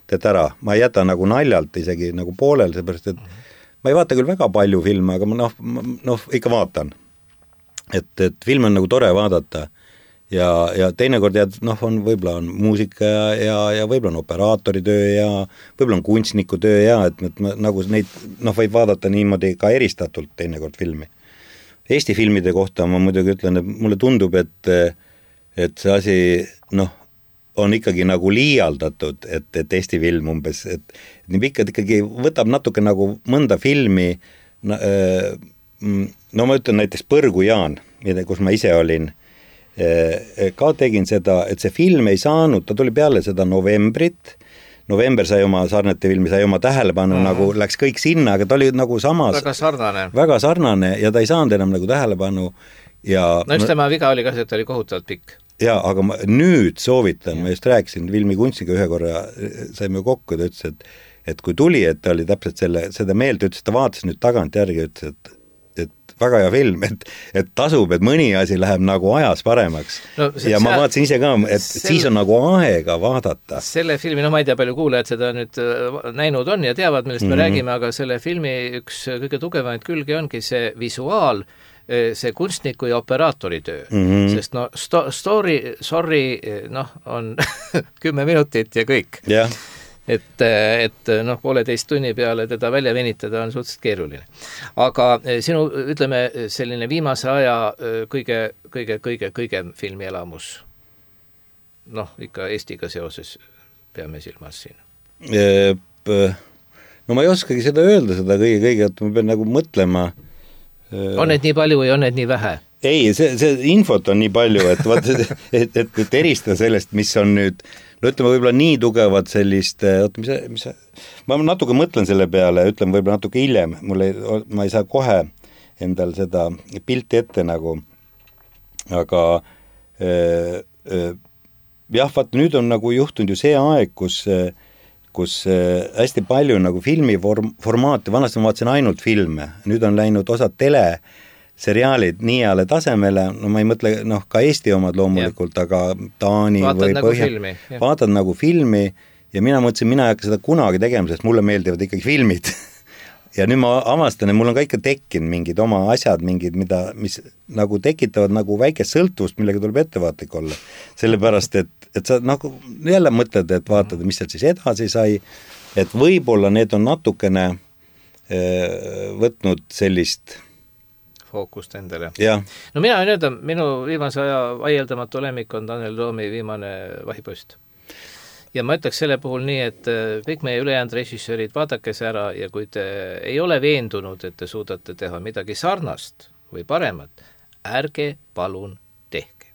teed ära, ma ei jäta nagu naljalt isegi nagu poolel, seepärast, et ma ei vaata küll väga palju filme, aga ma ikka vaatan. Et film on nagu tore vaadata ja teinekord võib-olla on muusika ja võib-olla on operaatori töö ja võib-olla on kunstniku töö ja et nagu neid võib vaadata niimoodi ka eristatult teinekord filmi. Eesti filmide kohta ma muidugi ütlen, et mulle tundub, et see asi, on ikkagi nagu liialdatud, et Eesti film umbes, et nii pikad ikkagi võtab natuke nagu mõnda filmi, ma ütlen näiteks Põrgu Jaan, kus ma ise olin, ka tegin seda, et see film ei saanud, ta tuli peale seda November sai oma Sarnete filmi, sai oma tähelepanu, nagu läks kõik sinna, aga ta oli nagu samas väga sarnane ja ta ei saanud enam nagu tähelepanu ja üks tema viga oli ka see, et ta oli kohutavalt pikk. Jaa, aga ma nüüd soovitan, ma just rääkisin filmikunstiga ühe korra, saime kokku, ta ütles, et kui tuli, et ta oli täpselt seda meelt, ütles, ta vaatas nüüd tagant järgi, ütles, et väga hea film, et tasub, et mõni asi läheb nagu ajas paremaks. Ma vaatasin ise ka, et siis on nagu aega vaadata. Selle filmi, ma ei tea, palju kuulajad seda nüüd näinud on ja teavad, millest me räägime, aga selle filmi üks kõige tugevamaid külgi ongi see visuaal, see kunstniku ja operaatori töö, sest story on 10 minutit ja kõik. Et pooleteist tunni peale teda välja venitada on suhteliselt keeruline. Aga sinu, ütleme, selline viimase aja kõige filmielamus, ikka Eestiga seoses peame silmas siin. No ma ei oskagi seda öelda, seda kõige, et ma pean nagu mõtlema. On need nii palju või on need nii vähe? Ei, see infot on nii palju, et eristada sellest, mis on nüüd, ütleme võib-olla nii tugevad sellist, ma natuke mõtlen selle peale, ütlen võib-olla natuke hiljem, ma ei saa kohe endal seda pilti ette nagu, aga vaata, nüüd on nagu juhtunud ju see aeg, kus hästi palju nagu filmiformaati, vanasti ma vaatasin ainult filme, nüüd on läinud osad teleseriaalid nii heale tasemele, ma ei mõtle, ka Eesti omad loomulikult, aga Taani vaatad või nagu filmi, vaatad nagu filmi ja mina mõtlesin, mina ei hakka seda kunagi tegema, sest mulle meeldivad ikkagi filmid ja nüüd ma avastan, et mul on ka ikka tekkinud mingid oma asjad, mingid, mis nagu tekitavad nagu väikest sõltuvust, millega tuleb ettevaatlik olla. Sellepärast, et sa nagu jälle mõtled, et vaatad, mis seal siis edasi sai, et võib-olla need on natukene võtnud sellist fookust endale. No mina võin öelda, minu viimase aja vaieldamatu lemmik on Tanel Toomi viimane Vahipost. Ja ma ütleks selle puhul nii, et kõik meie ülejäänud režissöörid, vaadake see ära ja kui te ei ole veendunud, et te suudate teha midagi sarnast või paremat, ärge palun tehke.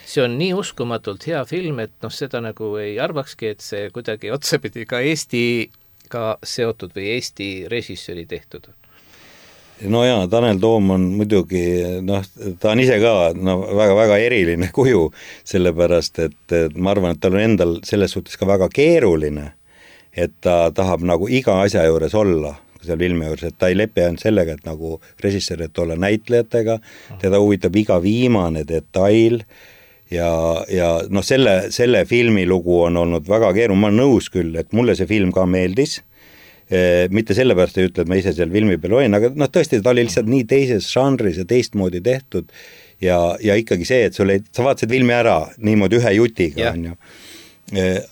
See on nii uskumatult hea film, et seda nagu ei arvakski, et see kuidagi otsapidi ka Eestiga seotud või Eesti režissööri tehtud on. No jaa, Tanel Toom on muidugi, ta on ise ka väga-väga eriline kuju, sellepärast, et ma arvan, et tal on endal selles suhtes ka väga keeruline, et ta tahab nagu iga asja juures olla, seal filmi juures, et ta ei lepi ainult sellega, et nagu režissöör, et olla näitlejatega, teda huvitab iga viimane detail ja selle filmi lugu on olnud väga keeruline, ma olen nõus küll, et mulle see film ka meeldis, mitte sellepärast ei ütle, et ma ise seal filmi peal olin, aga tõesti, ta oli lihtsalt nii teises žanris ja teistmoodi tehtud ja ikkagi see, et sa vaatasid filmi ära niimoodi ühe jutiga, on ju.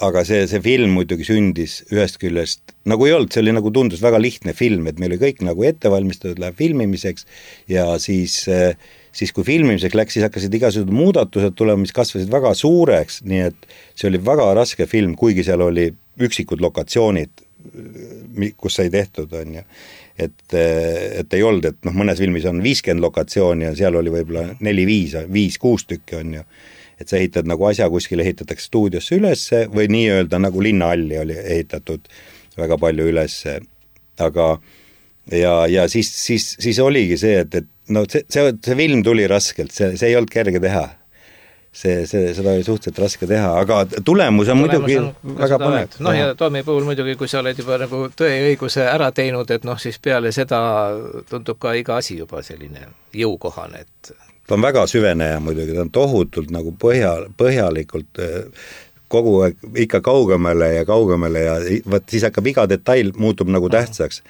Aga see film muidugi sündis ühest küljest, nagu ei olnud, see oli nagu tundus väga lihtne film, et meil oli kõik nagu ettevalmistatud, läheb filmimiseks ja siis kui filmimiseks läks, siis hakkasid igasugused muudatused tulema, mis kasvasid väga suureks, nii et see oli väga raske film, kuigi seal oli üksikud lokatsioonid, kus sai tehtud, on ju. Et ei olnud, et mõnes filmis on 50 lokatsiooni ja seal oli võib-olla 4-5-6 tükki, on ju. Et sa ehitad nagu asja kuskil, ehitatakse stuudiosse ülesse või nii-öelda nagu linnahalli oli ehitatud väga palju ülesse. Aga ja siis oligi see, et see film tuli raskelt, see ei olnud kerge teha. Seda oli suhteliselt raske teha, aga tulemus on muidugi väga põnev. Ja Toomi puhul muidugi, kui sa oled juba nagu tõe ja õiguse ära teinud, et siis peale seda tundub ka iga asi juba selline jõukohane, et ta on väga süveneja muidugi, ta on tohutult nagu põhjalikult kogu aeg ikka kaugemale ja siis hakkab iga detail muutub nagu tähtsaks.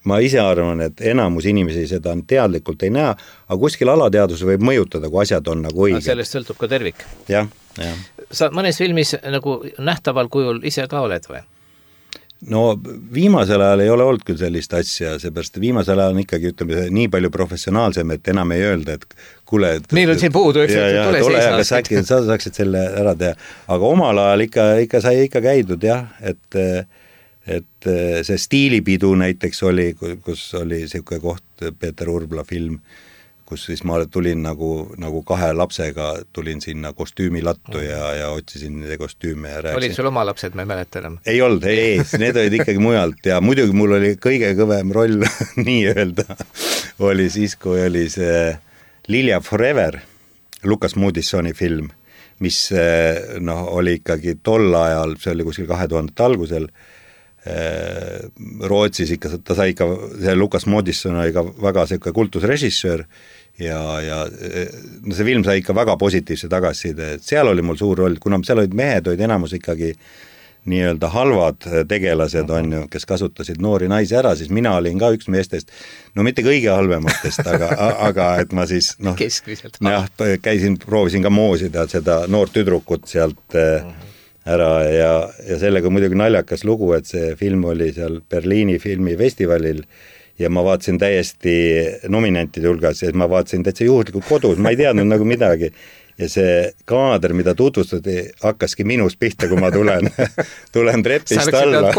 Ma ise arvan, et enamus inimesi seda teadlikult ei näe, aga kuskil alateadus võib mõjutada, kui asjad on nagu õiged. Sellest sõltub ka tervik. Jah. Sa mõnes filmis nagu nähtaval kujul ise ka oled või? No viimasel ajal ei ole olnud küll sellist asja, seepärast viimasel ajal on ikkagi, ütleme, nii palju professionaalsem, et enam ei öelda, et kuule... Meil on siin puudu, tule seisna. Kas äkki sa saaksid selle ära teha. Aga omal ajal ikka sai ikka käidud, jah, et see Stiilipidu näiteks oli, kus oli selline koht, Peeter Urbla film, kus siis ma tulin nagu 2 lapsega, tulin sinna kostüümilattu ja otsisin kostüüme ja rääksin. Olid sul oma lapsed, ma ei mäleta enam? Ei olnud, need olid ikkagi mujalt ja muidugi mul oli kõige kõvem roll, nii öelda, oli siis, kui oli see Lilja Forever, Lukas Moodysoni film, mis oli ikkagi tol ajal, see oli kuskil 2000 algusel, Rootsis ikka, ta sai ikka, see Lukas Moodysson oli ka väga selline kultusrežissöör ja see film sai ikka väga positiivse tagasiside, et seal oli mul suur roll, kuna seal olid mehed, olid enamus ikkagi nii-öelda halvad tegelased, on ju, kes kasutasid noori naisi ära, siis mina olin ka üks meestest, no mitte kõige halvematest, aga et ma siis keskmiselt proovisin ka moosida seda noort tüdrukut sealt ära ja sellega muidugi naljakas lugu, et see film oli seal Berliini filmifestivalil ja ma vaatasin täiesti nominantide hulgas ja ma vaatasin täitsa juhuslikult kodus, ma ei teadnud nagu midagi ja see kaader, mida tutvustati, hakkaski minust pihta, kui ma tulen trepist alla.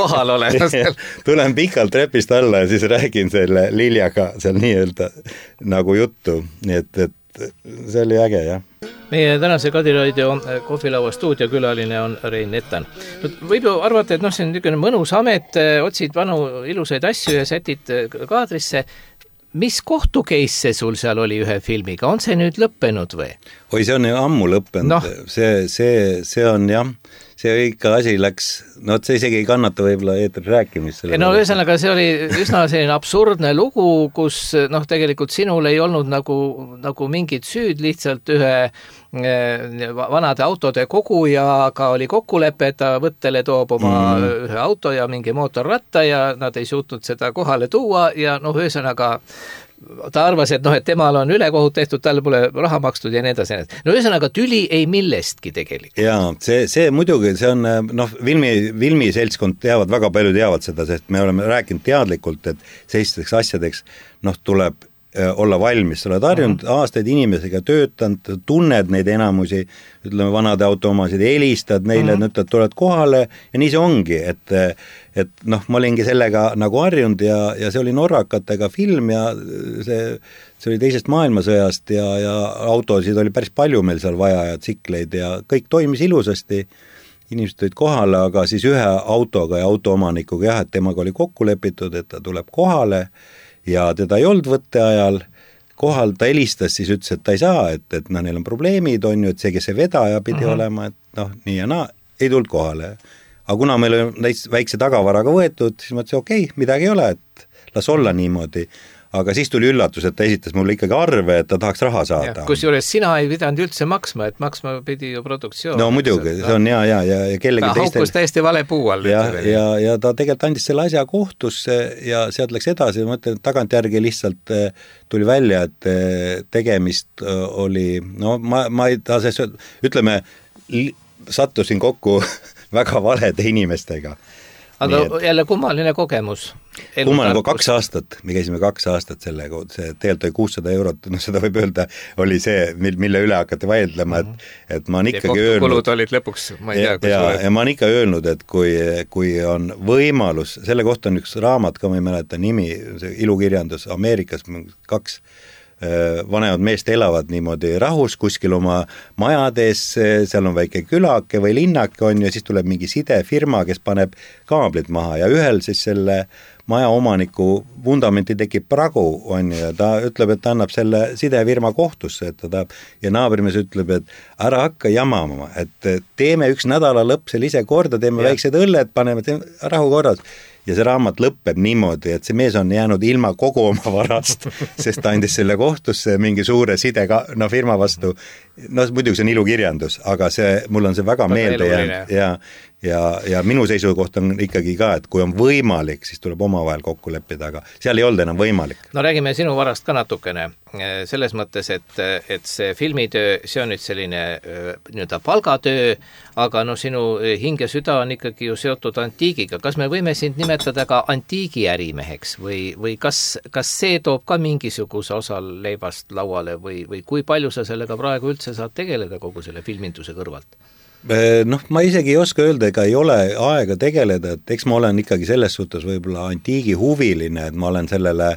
Tulen pikalt trepist alla ja siis räägin selle Liljaga seal nii-öelda nagu juttu, nii et see oli äge, jah. Meie tänase Kadiraadio kohvilaua stuudiokülaline on Rein Nettan. Võib ju arvata, et see on niisugune mõnus amet, otsid vanu ilusaid asju ja sätid kaadrisse. Mis kohtukeisse sul seal oli ühe filmiga? On see nüüd lõppenud või? Oi, see on ammu lõppenud. See on jah, see ikka asi läks, no see isegi ei kannata võib-olla eetris rääkimist. No ühesõnaga see oli üsna selline absurdne lugu, kus noh, tegelikult sinul ei olnud nagu mingit süüd, lihtsalt ühe vanade autode kogujaga oli kokkulepe, et ta võttele toob oma ühe auto ja mingi mootorratta ja nad ei suutnud seda kohale tuua ja noh, ühesõnaga ta arvas, et noh, et temal on ülekohut tehtud, talle pole raha makstud ja nii edasi. No ühesõnaga tüli ei millestki tegelikult. Jaa, see muidugi, see on noh, Vilmi seltskond teavad, väga palju teavad seda, sest me oleme rääkinud teadlikult, et sellisteks asjadeks noh, tuleb olla valmis, sa oled harjunud aastaid inimesega töötanud, tunned neid enamusi, ütleme vanade autoomasid, helistad neile, et tuled kohale ja nii see ongi, et noh, ma olingi sellega nagu harjunud ja see oli norrakatega film ja see oli teisest maailmasõjast ja autosid oli päris palju meil seal vaja ja tsikleid ja kõik toimis ilusasti, inimesed tulid kohale, aga siis ühe autoga ja autoomanikuga jah, et temaga oli kokku lepitud, et ta tuleb kohale ja teda ei olnud võtte ajal kohal, ta helistas, siis ütles, et ta ei saa, et no neil on probleemid, on ju, et see, kes see vedaja pidi olema, et noh, nii ja naa, ei tulnud kohale. Aga kuna meil on väikse tagavaraga võetud, siis ma ütlesin, okei, midagi ei ole, et las olla niimoodi. Aga siis tuli üllatus, et ta esitas mulle ikkagi arve, et ta tahaks raha saada. Kusjuures sina ei pidanud üldse maksma, et maksma pidi ju produktsioon. No muidugi, see on ja kellegi teistel. Haukus täiesti vale puu all. Ja ta tegelikult andis selle asja kohtusse ja sealt läks edasi, ma mõtlen, et tagantjärgi lihtsalt tuli välja, et tegemist oli, no ma ei taha sellest, ütleme, sattusin kokku väga valede inimestega. Aga jälle kummaline kogemus. Kummaline 2 aastat, me käisime 2 aastat sellega, see tegelikult oli 600 €, no seda võib öelda, oli see, mille üle hakati vaidlema, et ma on ikkagi öelnud... Kohtukulud olid lõpuks, ma ei tea, ja ma on ikka öelnud, et kui on võimalus, selle kohta on üks raamat ka, ma ei mäleta nimi, see ilukirjandus Ameerikas, 2 vanemad meest elavad niimoodi rahus kuskil oma majades, seal on väike külake või linnake on ja siis tuleb mingi sidefirma, kes paneb kaablid maha ja ühel siis selle maja omaniku vundamenti tekib pragu, on ju, ja ta ütleb, et ta annab selle sidefirma kohtusse, et ta tahab, ja naabrimees ütleb, et ära hakka jamama, et teeme üks nädala lõpp selle ise korda, teeme väiksed õlled, paneme rahu korras. Ja see raamat lõppeb niimoodi, et see mees on jäänud ilma kogu oma varast, sest ta andis selle kohtusse mingi suure firma vastu. No muidugi see on ilukirjandus, aga mul on see väga meelde jäänud ja minu seisukoht on ikkagi ka, et kui on võimalik, siis tuleb omavahel kokku leppida, aga seal ei olnud enam võimalik. No räägime sinu varast ka natukene, selles mõttes, et see filmitöö, see on nüüd selline nii-öelda palgatöö, aga no sinu hing ja süda on ikkagi ju seotud antiigiga. Kas me võime sind nimetada ka antiigiärimeheks või kas see toob ka mingisuguse osa leivast lauale või kui palju sa sellega praegu üldse saad tegeleda kogu selle filminduse kõrvalt? Noh, ma isegi ei oska öelda, ega ei ole aega tegeleda, et eks ma olen ikkagi selles suhtes võib-olla antiigi huviline, et ma olen sellele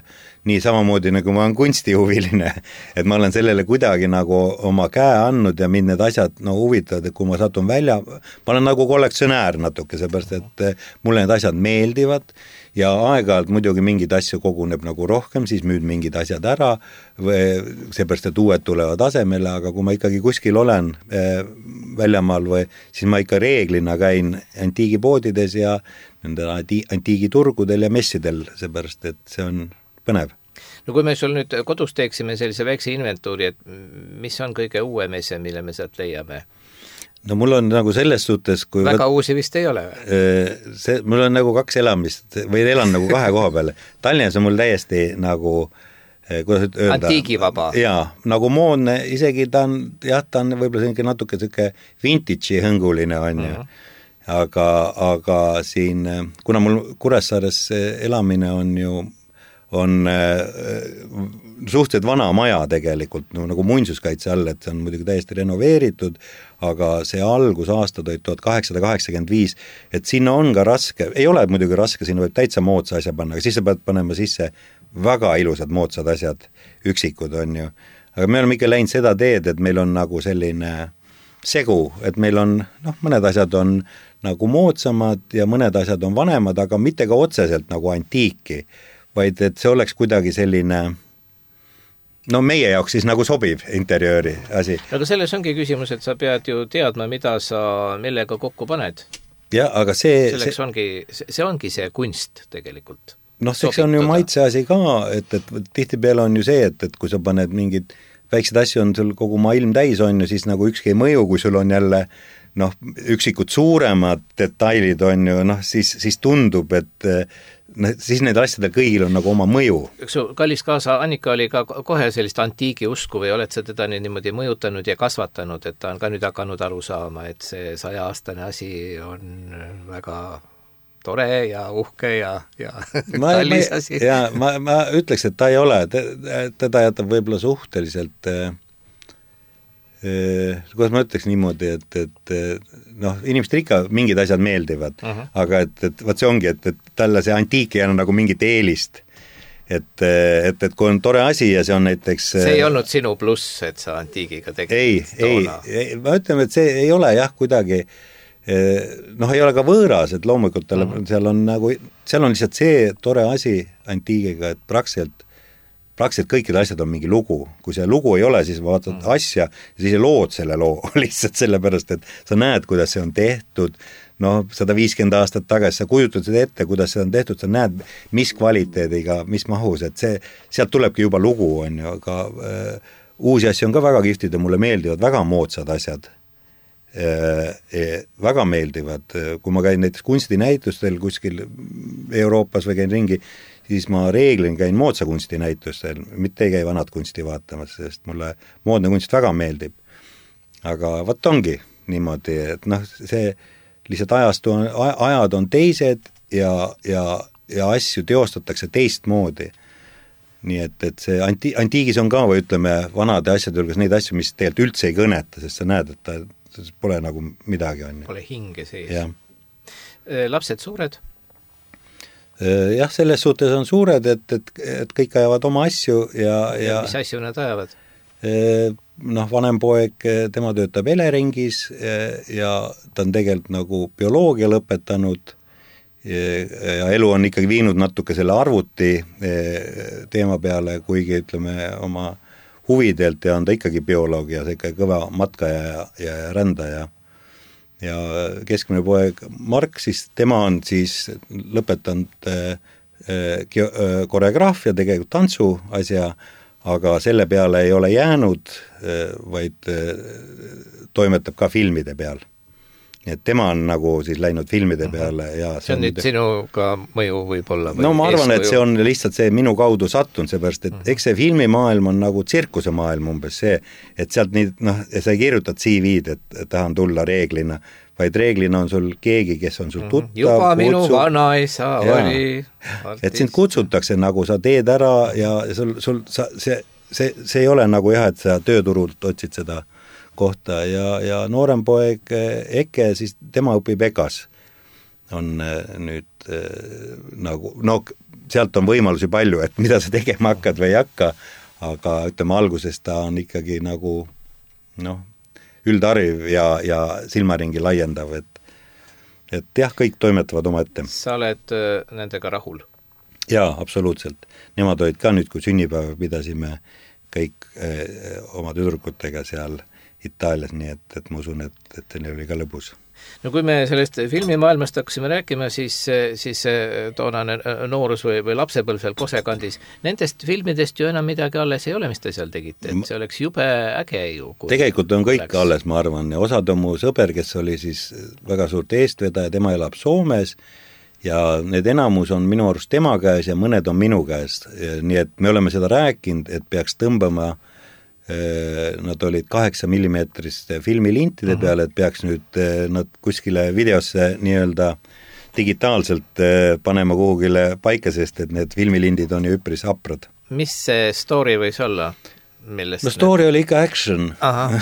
nii samamoodi nagu ma olen kunstihuviline, et ma olen sellele kuidagi nagu oma käe andnud ja mind need asjad huvitavad, et kui ma satun välja, ma olen nagu kollektsionäär natuke, seepärast, et mulle need asjad meeldivad ja aeg-ajalt muidugi mingid asju koguneb nagu rohkem, siis müüd mingid asjad ära, seepärast, et uued tulevad asemele, aga kui ma ikkagi kuskil olen väljamaal siis ma ikka reeglina käin antiigipoodides ja nendel antiigiturgudel ja messidel, seepärast, et see on põnev. No kui me sul nüüd kodus teeksime sellise väikse inventuuri, et mis on kõige uuem ese, mille me sealt leiame? No mul on nagu selles suhtes, kui väga uusi vist ei ole? Mul on nagu 2 elamist või elan nagu 2 koha peale. Tallinnas on mul täiesti nagu kuidas öelda? Antiigivaba. Jaa, nagu moodne, isegi ta on võib-olla natuke vintage'i hõnguline on ju. Aga siin, kuna mul Kuressaares elamine on ju suhteliselt vana maja tegelikult, nagu muinsuskaitse all, et see on muidugi täiesti renoveeritud, aga see algusaastad olid 1885, et sinna on ka raske, ei ole muidugi raske, sinna võib täitsa moodsa asja panna, aga siis sa pead panema sisse väga ilusad moodsad asjad, üksikud on ju. Aga me oleme ikka läinud seda teed, et meil on nagu selline segu, et meil on, mõned asjad on nagu moodsamad ja mõned asjad on vanemad, aga mitte ka otseselt nagu antiiki, vaid et see oleks kuidagi selline no meie jaoks siis nagu sobiv interjööri asi. Aga selles ongi küsimus, et sa pead ju teadma, mida sa millega kokku paned. Ja, aga see ongi see kunst tegelikult. Noh, see on ju maitse asi ka, et tihtipeale on ju see, et kui sa paned mingid väiksed asju on sul kogu maailm täis on ju, siis nagu ükski ei mõju, kui sul on jälle noh, üksikud suuremad detailid on ju, noh, siis tundub, et siis need asjadel kõigil on nagu oma mõju. Üks kallis kaasa Annika oli ka kohe sellist antiigi usku või oled sa teda niimoodi mõjutanud ja kasvatanud, et ta on ka nüüd hakanud aru saama, et see 100-aastane asi on väga tore ja uhke ja kallis asi. Ja ma ütleks, et ta ei ole, teda jätab võib-olla suhteliselt kuidas ma ütleks niimoodi, et noh, inimestel ikka mingid asjad meeldivad, aga et vaat see ongi, et talle see antiik ei anna nagu mingit eelist. Et kui on tore asi ja see on näiteks see ei olnud sinu pluss, et sa antiigiga tegid ei, ma ütleme, et see ei ole jah kuidagi noh, ei ole ka võõras, et loomulikult seal on lihtsalt see tore asi antiigiga, et praktiliselt kõikide asjad on mingi lugu. Kui see lugu ei ole, siis vaatad asja ja siis lood selle loo lihtsalt sellepärast, et sa näed, kuidas see on tehtud, no 150 aastat tagasi sa kujutad seda ette, kuidas see on tehtud, sa näed, mis kvaliteediga, mis mahus, et sealt tulebki juba lugu, on ju, aga uusi asju on ka väga kihvtid ja mulle meeldivad väga moodsad asjad. Väga meeldivad, kui ma käin näiteks kunstinäitustel kuskil Euroopas või käin ringi, siis ma reeglin käin moodsa kunstinäitustel, mitte ei käi vanad kunsti vaatamas, sest mulle moodne kunst väga meeldib. Aga võt ongi niimoodi, et noh, see lihtsalt ajad on teised ja asju teostatakse teistmoodi. Nii et see antiigis on ka, või ütleme, vanade asjade hulgas neid asju, mis tegelikult üldse ei kõneta, sest sa näed, et ta pole nagu midagi on. Pole hinge sees. Ja. Lapsed suured? Jah, selles suhtes on suured, et kõik ajavad oma asju ja mis asju nad ajavad? Noh, vanem poeg, tema töötab Eleringis ja ta on tegelikult nagu bioloogia lõpetanud ja elu on ikkagi viinud natuke selle arvuti teema peale, kuigi ütleme oma huvidelt ja on ta ikkagi bioloog ja see ikka kõva matkaja ja rändaja. Ja keskmine poeg Mark, siis tema on siis lõpetanud koreograafia, tegelikult tantsu asja, aga selle peale ei ole jäänud, vaid toimetab ka filmide peal. Et tema on nagu siis läinud filmide peale ja see on nüüd sinuga mõju võib-olla? No ma arvan, et see on lihtsalt see minu kaudu sattunud, seepärast, et eks see filmimaailm on nagu tsirkuse maailm umbes see, et sealt nii, noh, sa ei kirjutad CV-d, et tahan tulla reeglina, vaid reeglina on sul keegi, kes on sul tuttav. Juba minu vanaisa oli. Et sind kutsutakse nagu sa teed ära ja see ei ole nagu jah, et sa tööturult otsid seda kohta ja noorem poeg Eke, siis tema õpib EKAs. On nüüd nagu, no sealt on võimalusi palju, et mida sa tegema hakkad või ei hakka, aga ütleme alguses ta on ikkagi nagu noh, üldhariv ja silmaringi laiendav, et jah, kõik toimetavad oma ette. Sa oled nendega rahul? Jaa, absoluutselt. Nemad olid ka nüüd, kui sünnipäeva pidasime kõik oma tüdrukutega seal Itaalias, nii et ma usun, et neil oli ka lõbus. No kui me sellest filmimaailmast hakkasime rääkima, siis toonane noorus või lapsepõlv seal Kosekandis, nendest filmidest ju enam midagi alles ei ole, mis te seal tegite, et see oleks jube äge ju. Tegelikult on kõik alles, ma arvan, ja osad on mu sõber, kes oli siis väga suurt eestvedaja, tema elab Soomes ja need enamus on minu arust tema käes ja mõned on minu käes, nii et me oleme seda rääkinud, et peaks tõmbama nad olid 8 millimeetriste filmilintide peale, et peaks nüüd nad kuskile videosse nii-öelda digitaalselt panema kuhugile paika, sest et need filmilindid on ju üpris haprad. Mis see story võis olla? No story oli ikka action. Aha.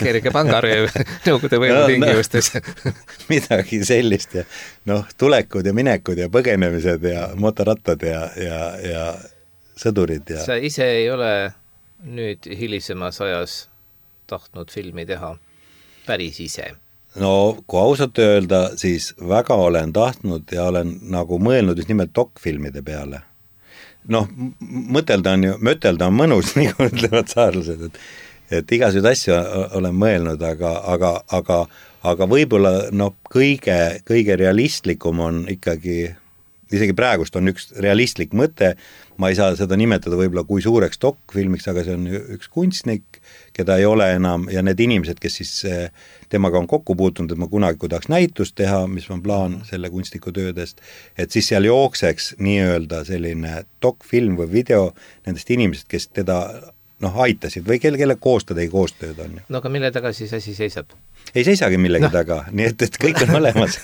Kerge pangarööv nõukogude võimu tingimustes. Midagi sellist ja noh, tulekud ja minekud ja põgenemised ja motorattad ja sõdurid ja... Sa ise ei ole nüüd hilisemas ajas tahtnud filmi teha päris ise? No, kui ausalt öelda, siis väga olen tahtnud ja olen nagu mõelnud just nimelt dokfilmide peale. noh, mõtelda on mõnus, nagu ütlevad saarlased, et igasuguseid asju olen mõelnud, aga võib-olla noh, kõige realistlikum on ikkagi, isegi praegust on üks realistlik mõte, ma ei saa seda nimetada võib-olla kui suureks dokfilmiks, aga see on üks kunstnik, keda ei ole enam, ja need inimesed, kes siis temaga on kokku puutunud, et ma kunagi kui tahaks näitust teha, mis on plaan selle kunstniku töödest, et siis seal jookseks nii-öelda selline dokfilm või video nendest inimesed, kes teda aitasid või kelle koostööd ei koostööd on. No aga mille taga siis asi seisab? Ei seisagi millegi taga, nii et kõik on olemas.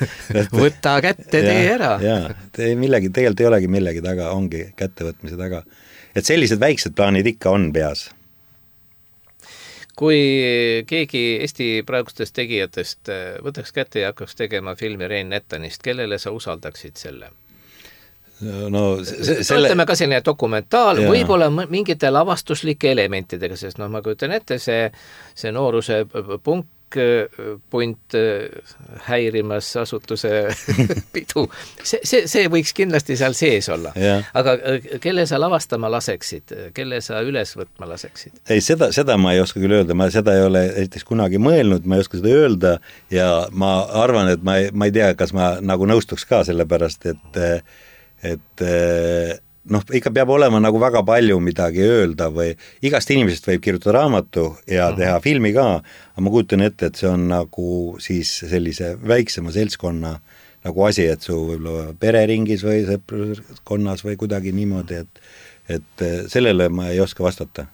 Võta kätte, tee ära. Jaa, tegelikult ei olegi millegi taga, ongi kättevõtmise taga. Et sellised väiksed plaanid ikka on peas. Kui keegi Eesti praegustest tegijatest võtaks kätte ja hakkaks tegema filmi Rein Nettanist, kellele sa usaldaksid selle? No, ütleme ka selline dokumentaal, võib-olla mingite lavastuslike elementidega, sest ma kujutan ette, see nooruse punt häirimas asutuse pidu, see võiks kindlasti seal sees olla. Aga kelle sa lavastama laseksid, kelle sa üles võtma laseksid? Ei, seda ma ei oska küll öelda, ma seda ei ole esiteks kunagi mõelnud, ma ei oska seda öelda ja ma arvan, et ma ei tea, kas ma nagu nõustuks ka sellepärast, et ikka peab olema nagu väga palju midagi öelda või igast inimesest võib kirjutada raamatu ja teha filmi ka, aga ma kujutan ette, et see on nagu siis sellise väiksema seltskonna nagu asi, et su võib-olla pereringis või sõpruskonnas või kuidagi niimoodi, et sellele ma ei oska vastata.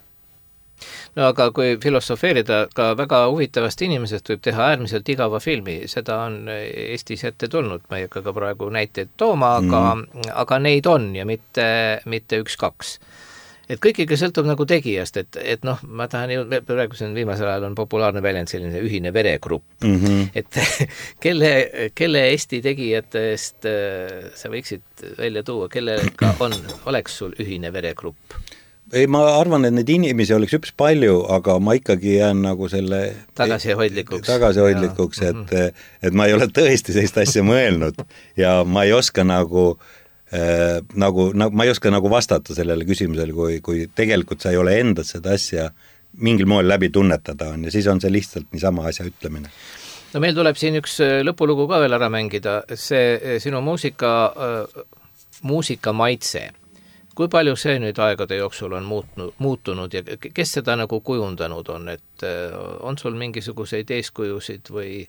No aga kui filosofeerida, ka väga huvitavast inimesest võib teha äärmiselt igava filmi, seda on Eestis ette tulnud, ma ei hakka ka praegu näiteid tooma, aga neid on ja mitte üks-kaks. Et kõikiga sõltub nagu tegijast, et ma tahan praegu viimasel ajal on populaarne väljend selline ühine veregrupp, et kelle Eesti tegijatest sa võiksid välja tuua, kellega oleks sul ühine veregrupp? Ei, ma arvan, et neid inimesi oleks üps palju, aga ma ikkagi jään nagu selle tagasihoidlikuks, et ma ei ole tõesti sellist asja mõelnud ja ma ei oska ma ei oska nagu vastata sellele küsimusele, kui tegelikult sa ei ole endas seda asja mingil moel läbi tunnetada on ja siis on see lihtsalt niisama asja ütlemine. No meil tuleb siin üks lõpulugu ka veel ära mängida, see sinu muusika maitse. Kui palju see nüüd aegade jooksul on muutunud ja kes seda nagu kujundanud on, et on sul mingisuguseid eeskujusid või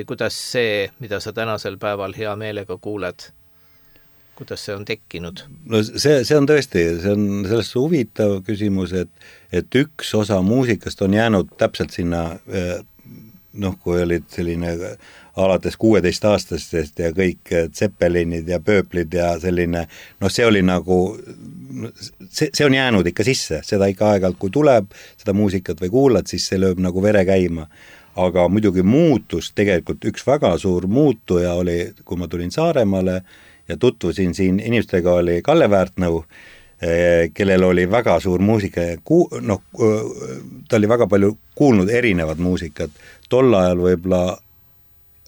kuidas see, mida sa tänasel päeval hea meelega kuuled, kuidas see on tekkinud? No see on tõesti, see on sellest huvitav küsimus, et üks osa muusikast on jäänud täpselt sinna, kui olid selline alates 16-aastastest ja kõik Zeppelinid ja Pööplid ja selline, see oli nagu, see on jäänud ikka sisse, seda ikka aeg-ajalt, kui tuleb seda muusikat või kuulad, siis see lööb nagu vere käima. Aga muidugi muutus, tegelikult üks väga suur muutuja oli, kui ma tulin Saaremaale ja tutvusin siin inimestega, oli Kalle Väärtnõu, kellel oli väga suur muusika, ta oli väga palju kuulnud erinevad muusikat, tol ajal võib-olla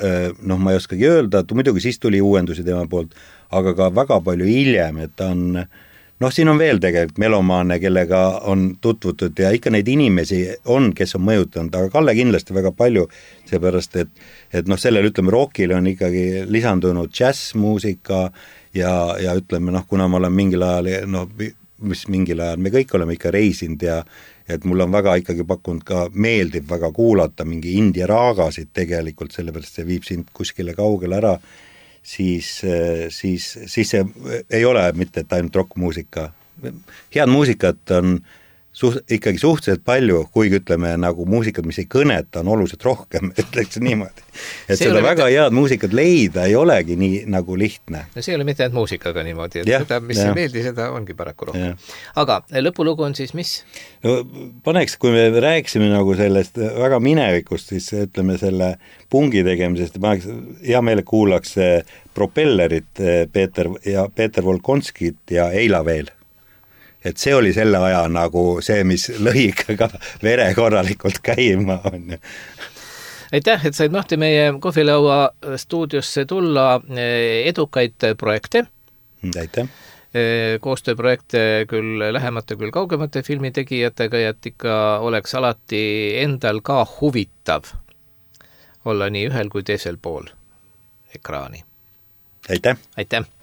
ma ei oskagi öelda, et muidugi siis tuli uuendusi tema poolt, aga ka väga palju hiljem, et ta on, siin on veel tegelikult melomaane, kellega on tutvutud ja ikka neid inimesi on, kes on mõjutanud, aga Kalle kindlasti väga palju, seepärast, et sellel, ütleme, rockile on ikkagi lisandunud džässmuusika ja ütleme, kuna ma olen mingil ajal, mingil ajal me kõik oleme ikka reisinud ja et mul on väga ikkagi pakkunud ka meeldib väga kuulata mingi India raagasid tegelikult, sellepärast see viib sind kuskile kaugele ära, siis see ei ole mitte, et ainult rockmuusika. Head muusikat on ikkagi suhteliselt palju, kuigi ütleme nagu muusikat, mis ei kõneta, on oluliselt rohkem, ütleks niimoodi. Et see seda väga head muusikat leida ei olegi nii nagu lihtne. No see ei ole mitte ainult muusikaga niimoodi, et seda, mis ei meeldi, seda ongi paraku rohkem. Aga lõpulugu on siis mis? No, paneks, kui me rääksime nagu sellest väga minevikust, siis ütleme selle pungi tegemisest, ma hea meele kuulaks Propellerit Peeter Volkonskit ja Eila veel. Et see oli selle aja nagu see, mis lõi ka vere korralikult käima on. Aitäh, et said Mahti meie kohvilaua stuudiosse tulla, edukaid projekte. Aitäh. koostööprojekte küll lähemate, küll kaugemate filmitegijatega ja et ikka oleks alati endal ka huvitav olla nii ühel kui teisel pool ekraani. aitäh! Aitäh!